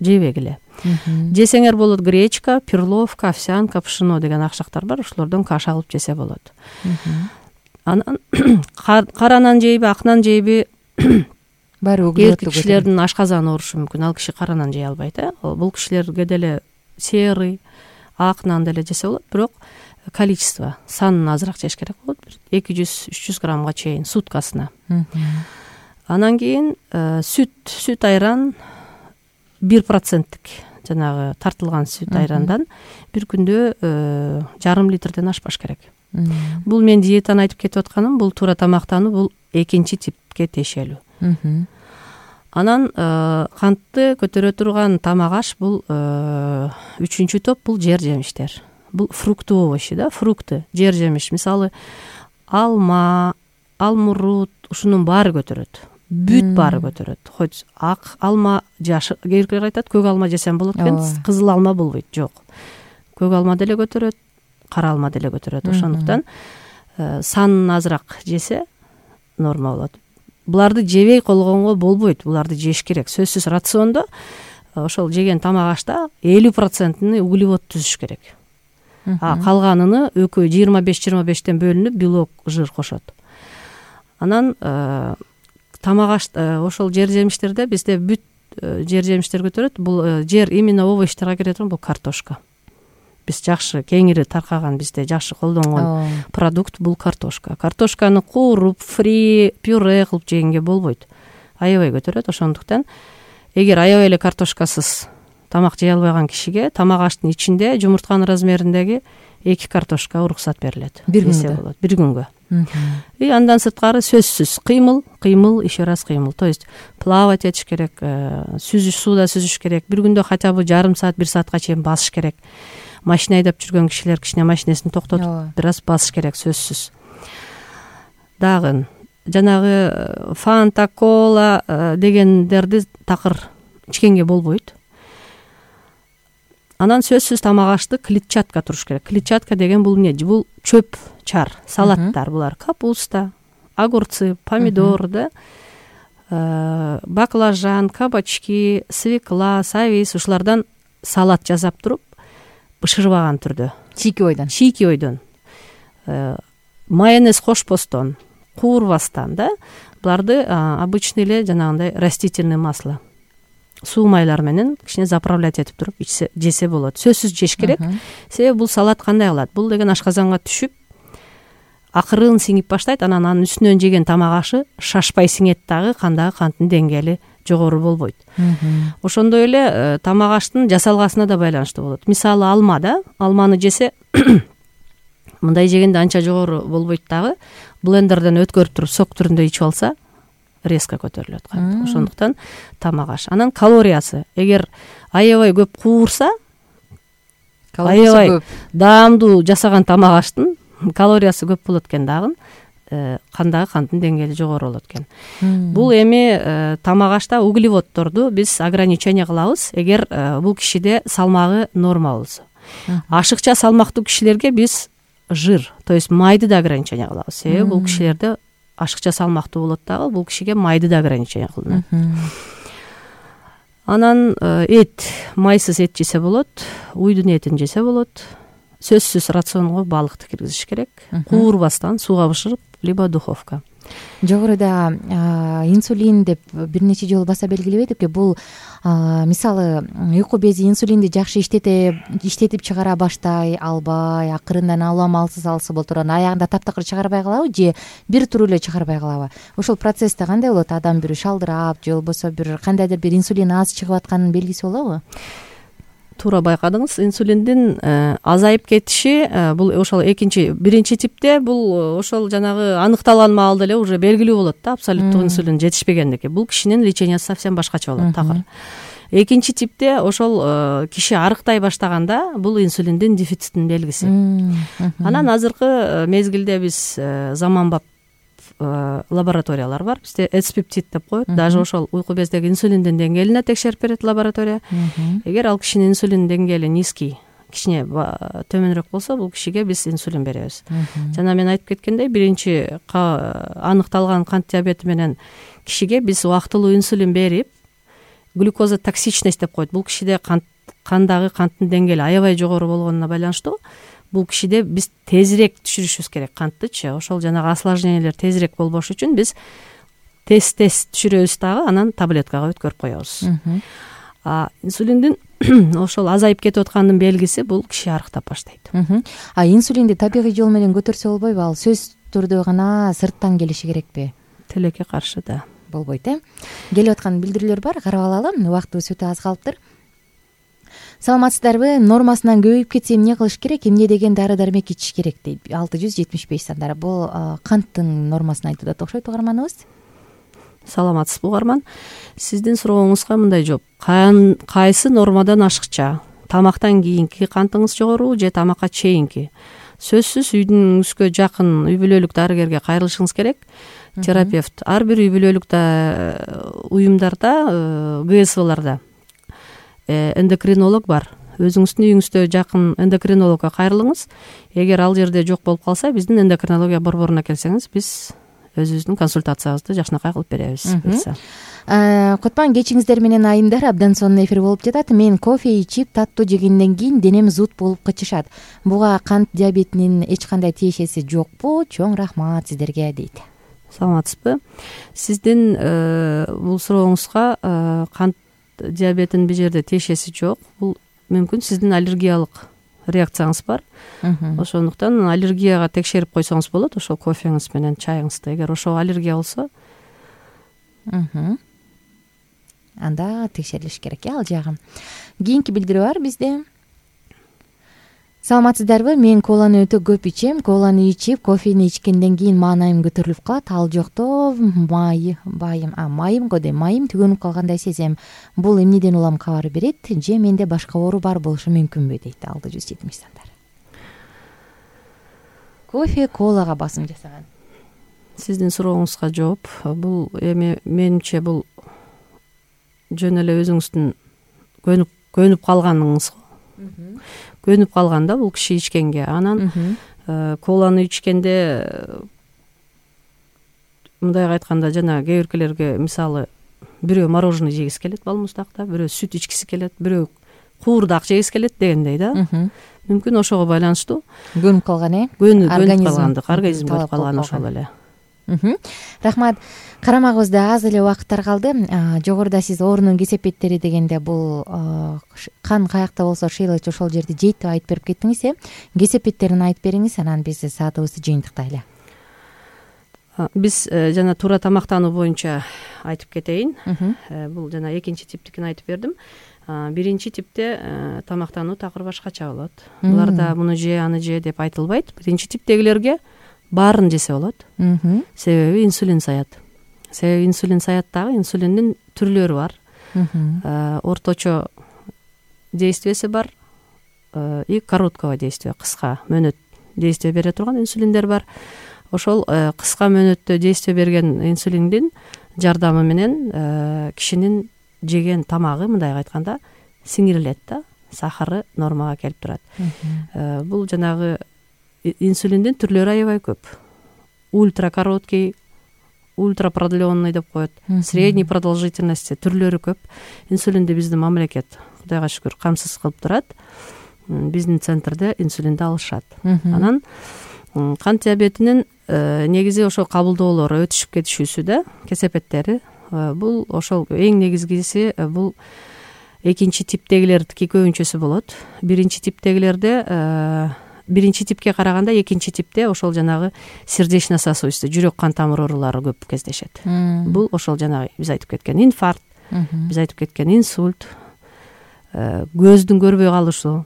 жебегиле. Жесеңер болот гречка, перловка, овсянка, пшено деген акшактар бар, ошолордон каша кылып жесе болот. Анан кара нан жейби, ак нан жейби? Баары углеводдуу кишилердин ашказаны оорушу мүмкүн. Ал киши кара нан жей албайт, бул кишилерге деле серый, ак нан деле жесе болот, бирок количество, санын азыраак жеш керек болот. 200-300 граммга чейин суткасына. Анан кийин сүт айран 1%тик жанагы тартылган сүт айрандан бир күндө 0,5 литрден ашпаш керек. Бул мен диетаны айтып кетип атканым, бул туура тамактануу, бул экинчи типке тиешелүү. Анан кантты көтөрө турган тамак аш бул 3-чү топ, бул жер жемиштер. Бул фрукты овощи да, фрукты, жер жемиш. Мисалы алма, алмурут, ушунун баары көтөрөт. Бүт баары көтөрөт. Хоть ак алма, жашы, кээ айтат, көк алма жесем болот экен, кызыл алма болбойт. Жок. Көк алма деле көтөрөт, кара алма деле көтөрөт. Ошондуктан санын азыраак жесе норма болот. Буларды жебей колгонго болбойт. Буларды жеш керек. Сөзсүз рациондо ошол жеген тамак ашта 50%-ны углевод түзүш керек. Калганын экөө 25-25тен бөлүнүп белок, жир кошот. Анан тамак аш ошол жер жемиштерде бизде бүт жер жемиштер көтөрөт. Бул жер именно овощторго кире турган, бул картошка. Биз жакшы кеңири таркаган, бизде жакшы колдонгон продукт бул картошка. Картошканы кууруп, фри, пюре кылып жегенге болбойт. Аябай көтөрөт. Ошондуктан эгер аябай эле картошкасыз тамак жей албаган кишиге тамак аштын ичинде жумуртканын размериндеги 2 картошка уруксат берилет. Бир күнгө. И андан сырткары сөзсүз кыймыл, еще раз кыймыл. То есть плавать этиш керек, сууда сүзүш керек. Бир күндө хотя бы жарым саат, 1 саатка чейин басыш керек. Машина айдап жүргөн кишилер кичине машинесин токтотуп бир аз басыш керек, сөзсүз. Дагы жанагы фанта, кола дегендерди такыр ичкенге болбойт. Анан сөзсүз тамак ашты клетчатка туруш керек. Клетчатка деген бул эмне? Бул чөп чар, салаттар булар. Капуста, огурцы, помидор, да, баклажан, кабачки, свекла, савис, ушулардан салат жасап туруп, бышырбаган түрдө. Чийки ойдон. Майонез кошпостон, куурбастан, да. Буларды обычный эле жанагындай растительный масло, суу майлар менен кичине заправлять этип туруп жесе болот. Сөзсүз жеш керек. Себеби бул салат кандай кылат? Бул деген ашказанга түшүп, акырын сиңип баштайт, анан анын үстүнөн жеген тамак ашы шашпай сиңет дагы, кандагы канттын деңгээли жогору болбойт. Ошондой эле тамак аштын жасалгасына да байланыштуу болот. Мисалы алма, да, алманы жесе мындай жегенде анча жогору болбойт дагы, блендерден өткөрүп туруп сок түрүндө ичип алса резко көтөрүлөт кант. Ошондуктан тамак аш. Анан калориясы, эгер аябай көп куурса, аябай даамдуу жасаган тамак аштын калориясы көп болот экен дагы, кандагы канттын деңгээли жогору болот экен. Бул эми тамак ашта углеводдорду биз ограничение кылабыз, эгер бул кишиде салмагы норма болсо. Ашыкча салмактуу кишилерге биз жир, то есть майды да ограничение кылабыз. Себеби бул кишилерде ашыкча салмактуу болот дагы, бул кишиге майды да ограничение кылынат. Анан эт, майсыз эт жесе болот, уйдун этин жесе болот. Сөзсүз рационго балыкты киргизиш керек. Куурбастан сууга бышырып, либо духовка. Жогоруда инсулин деп бир нече жолу баса белгилебедикпи? Бул мисалы уйку бези инсулинди жакшы иштетип чыгара баштай албай, акырындан амалсыз алса болот, аягында таптакыр чыгарбай калабы же бир туруп эле чыгарбай калабы? Ошол процессте кандай болот? Адам бир шалдырап же болбосо бир кандайдыр бир инсулин аз чыгып атканын белгиси болобу? Туура байкадыңыз. Инсулиндин азайып кетиши бул ошол биринчи типте бул ошол жанагы аныкталган маалда эле уже белгилүү болот да, абсолюттук инсулин жетишпегендики. Бул кишинин лечениясы совсем башкача болот такыр. Экинчи типте ошол киши арыктай баштаганда бул инсулиндин дефицитинин белгиси. Анан азыркы мезгилде биз заманбап лабораториялар бар. Бизде эспептид деп коет. Даже ошол уйку бездеги инсулиндин деңгээлине текшерип берет лаборатория. Эгер ал кишинин инсулин деңгээли низкий, кичине төмөнүрөөк болсо, бул кишиге биз инсулин беребиз. Жана мен айтып кеткендей, биринчи аныкталган кант диабети менен кишиге биз убактылуу инсулин берип, глюкоза токсичность деп коет. Бул кишиде кандагы канттын деңгээли аябай жогору болгонуна байланыштуу бул кишиде биз тезирээк түшүрүшүбүз керек канттычы. Ошол жанагы осложнениялер тезирээк болбош үчүн биз тез түшүрөбүз дагы, анан таблеткага өткөрүп коебуз. Инсулиндин ошол азайып кетип аткандын белгиси бул киши арыктап баштайт. Инсулинди табигый жол менен көтөрсө болбойбу? Ал сөз түрдө гана сырттан келиши керекпи? Тилекке каршы да болбойт, Келип аткан билдирүүлөр бар, карап алалы. Убактыбыз өтө аз калыптыр. Саламатсыздарбы? Нормасынан көбөйүп кетсе эмне кылыш керек? Эмне деген дары-дармек ичиш керек дейт. 675 сандары. Бул канттын нормасын айтып атат окшойт угарманыбыз. Саламатсызбы угарман? Сиздин сурооңузга мындай жооп. Кайсы нормадан ашыкча? Тамактан кийинки кантыңыз жогору же тамакка чейинки? Сөзсүз үйдүңүзгө жакын үй бүлөлүк дарыгерге кайрылышыңыз керек. Терапевт ар бир үй бүлөлүк уюмдарда, ГСВларда эндокринолог бар. Өзүңүздүн үйүңүздө жакын эндокринологко кайрылыңыз. Эгер ал жерде жок болуп калса, биздин эндокринология борборуна келсеңиз, биз өзүбүздүн консультациябызды жакшынакай кылып беребиз. Кутман кечиңиздер менен айымдар, абдан сонун эфир болуп жатат. Мен кофе ичип, таттуу жегенден кийин денем зуд болуп кычышат. Буга кант диабетинин эч кандай тиешеси жокпу? Чоң рахмат сиздерге дейт. Саламатсызбы? Сиздин бул сурооңузга кант диабетинин бир жерде тиешеси жок. Бул мүмкүн сиздин аллергиялык реакцияңыз бар. Ошондуктан аллергияга текшерип койсоңуз болот, ошол кофеңиз менен чайыңызды. Эгер ошол аллергия болсо, анда текшерилиш керек, ал жагы. Кийинки билдирүү бар бизде. Саламатсыздарбы? Мен коланы өтө көп ичем. Коланы ичип, кофени ичкенден кийин маанайым көтөрүлүп калат. Ал жокто майым түгөнүп калгандай сезем. Бул эмнеден улам кабар берет? Же менде башка оору бар болушу мүмкүнбү дейт 670 сандар. Кофе колага басым жасаган. Сиздин сурооңузга жооп. Бул эми менимче бул жөн эле өзүңүздүн көнүп калганыңыз. көнүп калган да бул киши ичкенге. Анан коланы ичкенде мындайга айтканда жана кээ биркилерге мисалы бирөө мороженое жегиси келет балмуздакта, бирөө сүт ичкиси келет, бирөө куурдак жегиси келет дегендей да. Мүмкүн ошого байланыштуу көнүп калган көнүп калгандык, организм көнүп калган ошол эле. Рахмат. Карамагыбызда аз эле убакыттар калды. Жогоруда сиз оорунун кесепеттери дегенде бул кан каякта болсо шыйлыч ошол жерди жейт деп айтып берип кеттиңиз. Кесепеттерин айтып бериңиз, анан биз саатыбызды жыйынтыктайлы. Биз жана туура тамактануу боюнча айтып кетейин. Бул жана экинчи типтикин айтып бердим. Биринчи типте тамактануу такыр башкача болот. Буларда муну же аны же деп айтылбайт. Биринчи типтегилерге баарын жесе болот. Себеби инсулин саят. Себеби инсулин саят дагы инсулиндин түрлөрү бар. Орточо действиеси бар и короткого действия, кыска мөөнөт действие бере турган инсулиндер бар. Ошол кыска мөөнөттө действие берген инсулиндин жардамы менен кишинин жеген тамагы мындайга айтканда сиңирилет да, сахары нормага келип турат. Бул жанагы инсулиндин түрлөрү аябай көп. Ультракороткий, ультрапродленный деп коет, средней продолжительности түрлөрү көп. Инсулинди биздин мамлекет Кудайга шүкүр камсыз кылып турат. Биздин центрде инсулинди алышат. Анан кант диабетинин негизи ошол кабылдоолору өтүшүп кетишүүсү да, кесепеттери. Бул ошол эң негизгиси бул экинчи типтегилердики көбүнчөсү болот. Биринчи типке караганда экинчи типте ошол жанагы сердечно-сосудистый, жүрөк кан тамыр оорулары көп кездешет. Бул ошол жанагы биз айтып кеткен инфаркт, биз айтып кеткен инсульт, көздүн көрбөй калышы,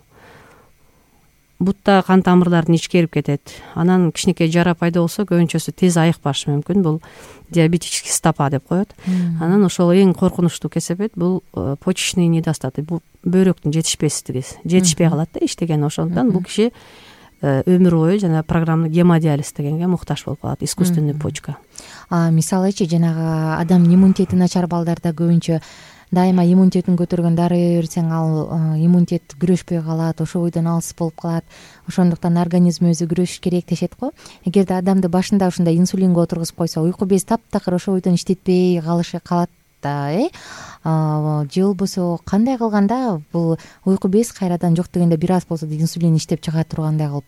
бутта кан тамырлардын ичкерип кетет. Анан кичинекей жара пайда болсо көбүнчөсү тез айыкпашы мүмкүн. Бул диабетический стопа деп коет. Анан ошол эң коркунучтуу кесепет бул почечный недостаток, бул бөйрөктүн жетишпестиги. Жетишпей калат да иштеген. Ошондон бул киши өмүр бою жана программалык гемодиализ дегенге муктаж болуп калат, искусственный почка. Мисалычы жанагы адамдын иммунитети начар балдарда көбүнчө дайыма иммунитетин көтөргөн дары берсең, ал иммунитет күрөшпөй калат, ошол бойдон алыс болуп калат. Ошондуктан организм өзү күрөшүш керек дешет го. Эгерде адамды башында ушундай инсулинге отургузуп койсо, уйку без таптакыр ошол бойдон иштетпей калат да, же болбосо кандай кылганда бул уйку без кайрадан жок дегенде бир аз болсо да инсулин иштеп чыга тургандай кылып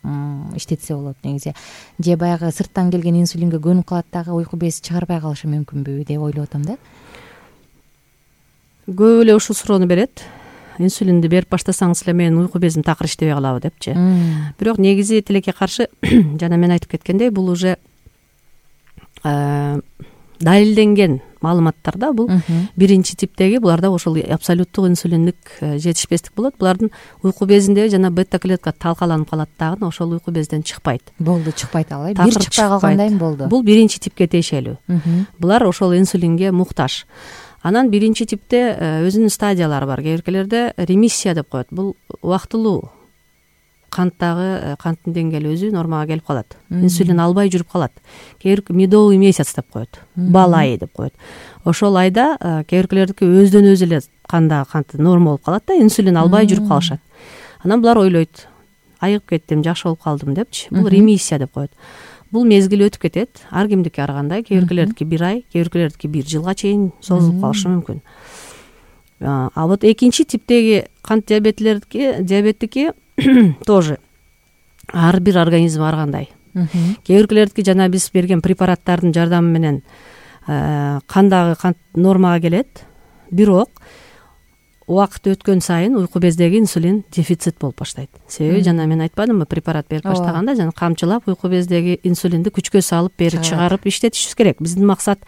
иштетсе болот негизи. Же баягы сырттан келген инсулинге көнүп калат дагы уйку без чыгарбай калышы мүмкүнбү деп ойлоп атам да. Көп эле ушул суроону берет. Инсулинди берип баштасаңыз эле менин уйку безим такыр иштебей калабы депчи. Бирок негизи тилекке каршы жана мен айтып кеткендей, бул уже далилденген маалыматтар да. Бул биринчи типтеги, буларда ошол абсолюттук инсулиндик жетишпестик болот. Булардын уйку безинде жана бета клетка талкаланып калат дагы, ошол уйку безден чыкпайт. Болду, чыкпайт ал, бир чыкпай калгандайым болду. Бул биринчи типке тиешелүү. Булар ошол инсулинге муктаж. Анан биринчи типте өзүнүн стадиялары бар. Кээ биркилерде ремиссия деп коет. Бул убактылуу канттагы канттын деңгээли өзү нормага келип калат. Инсулин албай жүрүп калат. Кээ бирки медовый месяц деп коет. Бал айы деп коет. Ошол айда кээ биркилердики өздөн өзү эле кандагы канты норма болуп калат да, инсулин албай жүрүп калышат. Анан булар ойлойт, айыгып кеттим, жакшы болуп калдым депчи. Бул ремиссия деп коет. Бул мезгил өтүп кетет. Ар кимдики ар кандай. Кээ биркилердики 1 ай, кээ биркилердики 1 жылга чейин созулуп калышы мүмкүн. А вот экинчи типтеги кант диабеттики тоже ар бир организм ар кандай. Кээ биркилердики жана биз берген препараттардын жардамы менен кандагы кант нормага келет. Бирок убакыт өткөн сайын уйку бездеги инсулин дефицит болуп баштайт. Себеби жана мен айтпадымбы, препарат берип баштаганда жана камчылап уйку бездеги инсулинди күчкө салып, бери чыгарып иштетишибиз керек. Биздин максат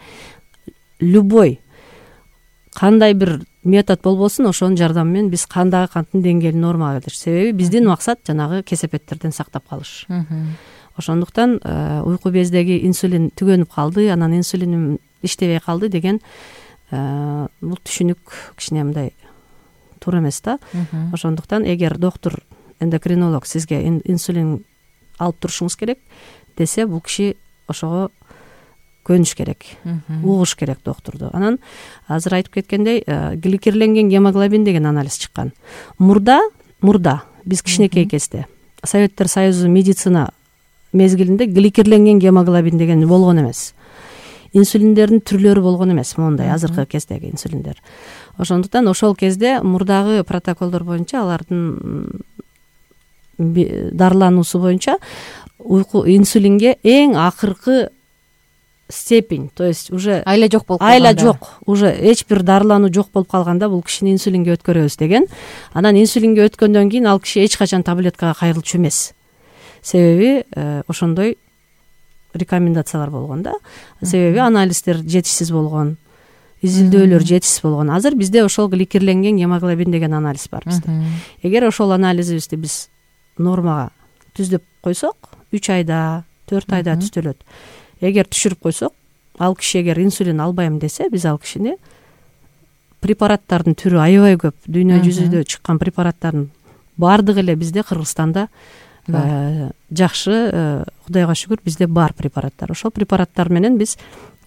любой кандай бир метод болбосун, ошонун жардамы менен биз кандагы канттын деңгээлин нормага келтириш. Себеби биздин максат жанагы кесепеттерден сактап калыш. Ошондуктан уйку бездеги инсулин түгөнүп калды, анан инсулиним иштебей калды деген бул түшүнүк кичине мындай туура эмес да. Ошондуктан эгер доктур, эндокринолог сизге инсулин алып турушуңуз керек десе, бул киши ошого көнүш керек, угуш керек доктурду. Анан азыр айтып кеткендей, гликерленген гемоглобин деген анализ чыккан. Мурда мурда биз кичинекей кезде Советтер Союзу медицина мезгилинде гликерленген гемоглобин деген болгон эмес. Инсулиндердин түрлөрү болгон эмес, мондай азыркы кездеги инсулиндер. Ошондуктан ошол кезде мурдагы протоколдор боюнча алардын дарылануусу боюнча инсулинге эң акыркы степень, то есть уже айла жок болуп айла жок, уже эч бир дарылануу жок болуп калганда бул кишини инсулинге өткөрөбүз деген. Анан инсулинге өткөндөн кийин ал киши эч качан таблеткага кайрылчу эмес. Себеби ошондой рекомендациялар болгон да. Себеби анализдер жетишсиз болгон, изилдөөлөр жетишсиз болгон. Азыр бизде ошол гликерленген гемоглобин деген анализ бар бизде. Эгер ошол анализибизди биз нормага түздөп койсок, 3 айда, 4 айда түзөлөт. Эгер түшүрүп койсок, ал киши эгер инсулин албайм десе, биз ал кишини препараттардын түрү аябай көп. Дүйнө жүзүндө чыккан препараттардын баардыгы эле бизде Кыргызстанда жакшы, Кудайга шүгүр, бизде бар препараттар. Ошол препараттар менен биз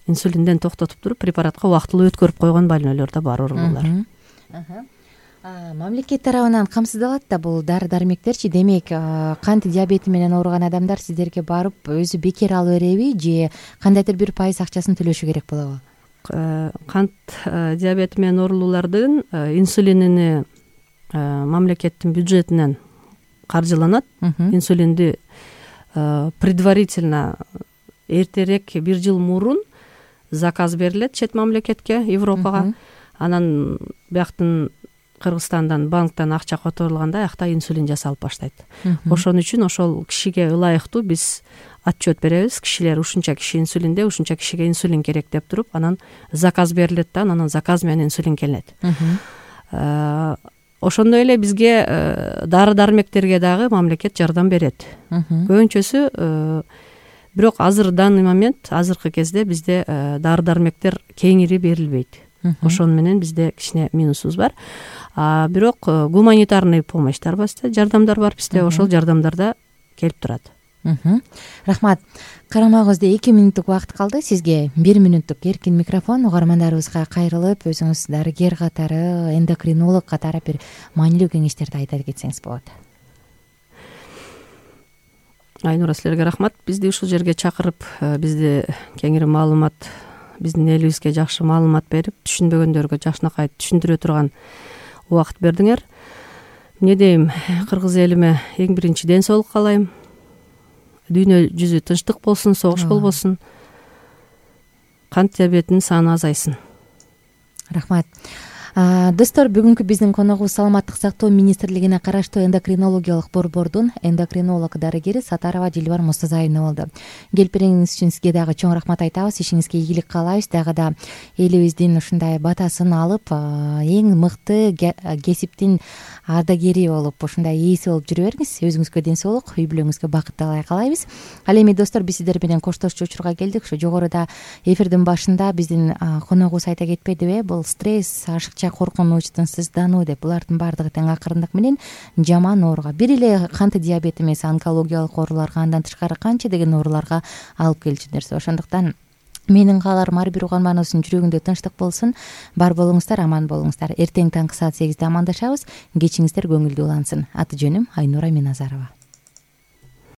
инсулинден токтотуп туруп, препаратка убактылуу өткөрүп койгон больнойлор да бар, оорулуулар. Мамлекет тарабынан камсыздалат да бул дары-дармектерчи. Демек, кант диабети менен ооруган адамдар сиздерге барып өзү бекер ала береби же кандайдыр бир пайыз акчасын төлөшү керек болобу? Кант диабети менен оорулуулардын инсулинини мамлекеттин бюджетинен каржыланат. Инсулинди предварительно эртерээк 1 жыл мурун заказ берилет чет мамлекетке, Европага. Анан бияктын Кыргызстандан банктан акча которулганда аякта инсулин жасалып баштайт. Ошон үчүн ошол кишиге ылайыктуу биз отчет беребиз. Кишилер ушунча киши инсулинде, ушунча кишиге инсулин керек деп туруп, анан заказ берилет да, анан заказ менен инсулин келет. Ошондой эле бизге дары-дармектерге дагы мамлекет жардам берет. Көбүнчөсү, бирок азыр данный момент, азыркы кезде бизде дары-дармектер кеңири берилбейт. Ошон менен бизде кичине минусубуз бар. Бирок гуманитарный помощьтар бар, жардамдар бар бизде, ошол жардамдарда келип турат. Рахмат. Карамагыбызда 2 мүнөттүк убакыт калды. Сизге 1 мүнөттүк эркин микрофон. Угармандарыбызга кайрылып, өзүңүз дарыгер катары, эндокринолог катары бир маанилүү кеңештерди айта кетсеңиз болот. Айнура, силерге рахмат. Бизди ушул жерге чакырып, бизди кеңири маалымат, биздин элибизге жакшы маалымат берип, түшүнбөгөндөргө жакшынакай түшүндүрө турган убакыт бердиңер. Эмне дейм, кыргыз элиме эң биринчи ден соолук каалайм. Дүйнө жүзү тынчтык болсун, согуш болбосун. Кант диабетинин саны азайсын. Рахмат. Достор, бүгүнкү биздин коногубуз Саламаттык сактоо министрлигине караштуу эндокринологиялык борбордун эндокринолог дарыгери Сатарова Дилбар Мустазаевна болду. Келипериңиз үчүн сизге дагы чоң рахмат айтабыз. Ишиңизге ийгилик каалайбыз. Дагы да элибиздин ушундай батасын алып, эң мыкты кесиптин ардагери болуп, ушундай ээси болуп жүрө бериңиз. Өзүңүзгө ден соолук, үй бүлөңүзгө бакыт талай каалайбыз. Ал эми достор, биз сиздер менен коштошчу учурга келдик. Ушу жогоруда эфирдин башында биздин коногубуз айта кетпедиби? Бул стресс, ашыкча, коркунуч, тынчсыздануу деп, булардын баардыгы тең акырындык менен жаман ооруга, бир эле кант диабети эмес, онкологиялык ооруларга, андан тышкары канча деген ооруларга алып келчү нерсе. Ошондуктан менин кааларым ар бир угарманыбыздын жүрөгүндө тынчтык болсун. Бар болуңуздар, аман болуңуздар. Эртең таңкы саат 8-де амандашабыз. Кечиңиздер көңүлдүү улансын. Аты жөнүм Айнура Миназарова.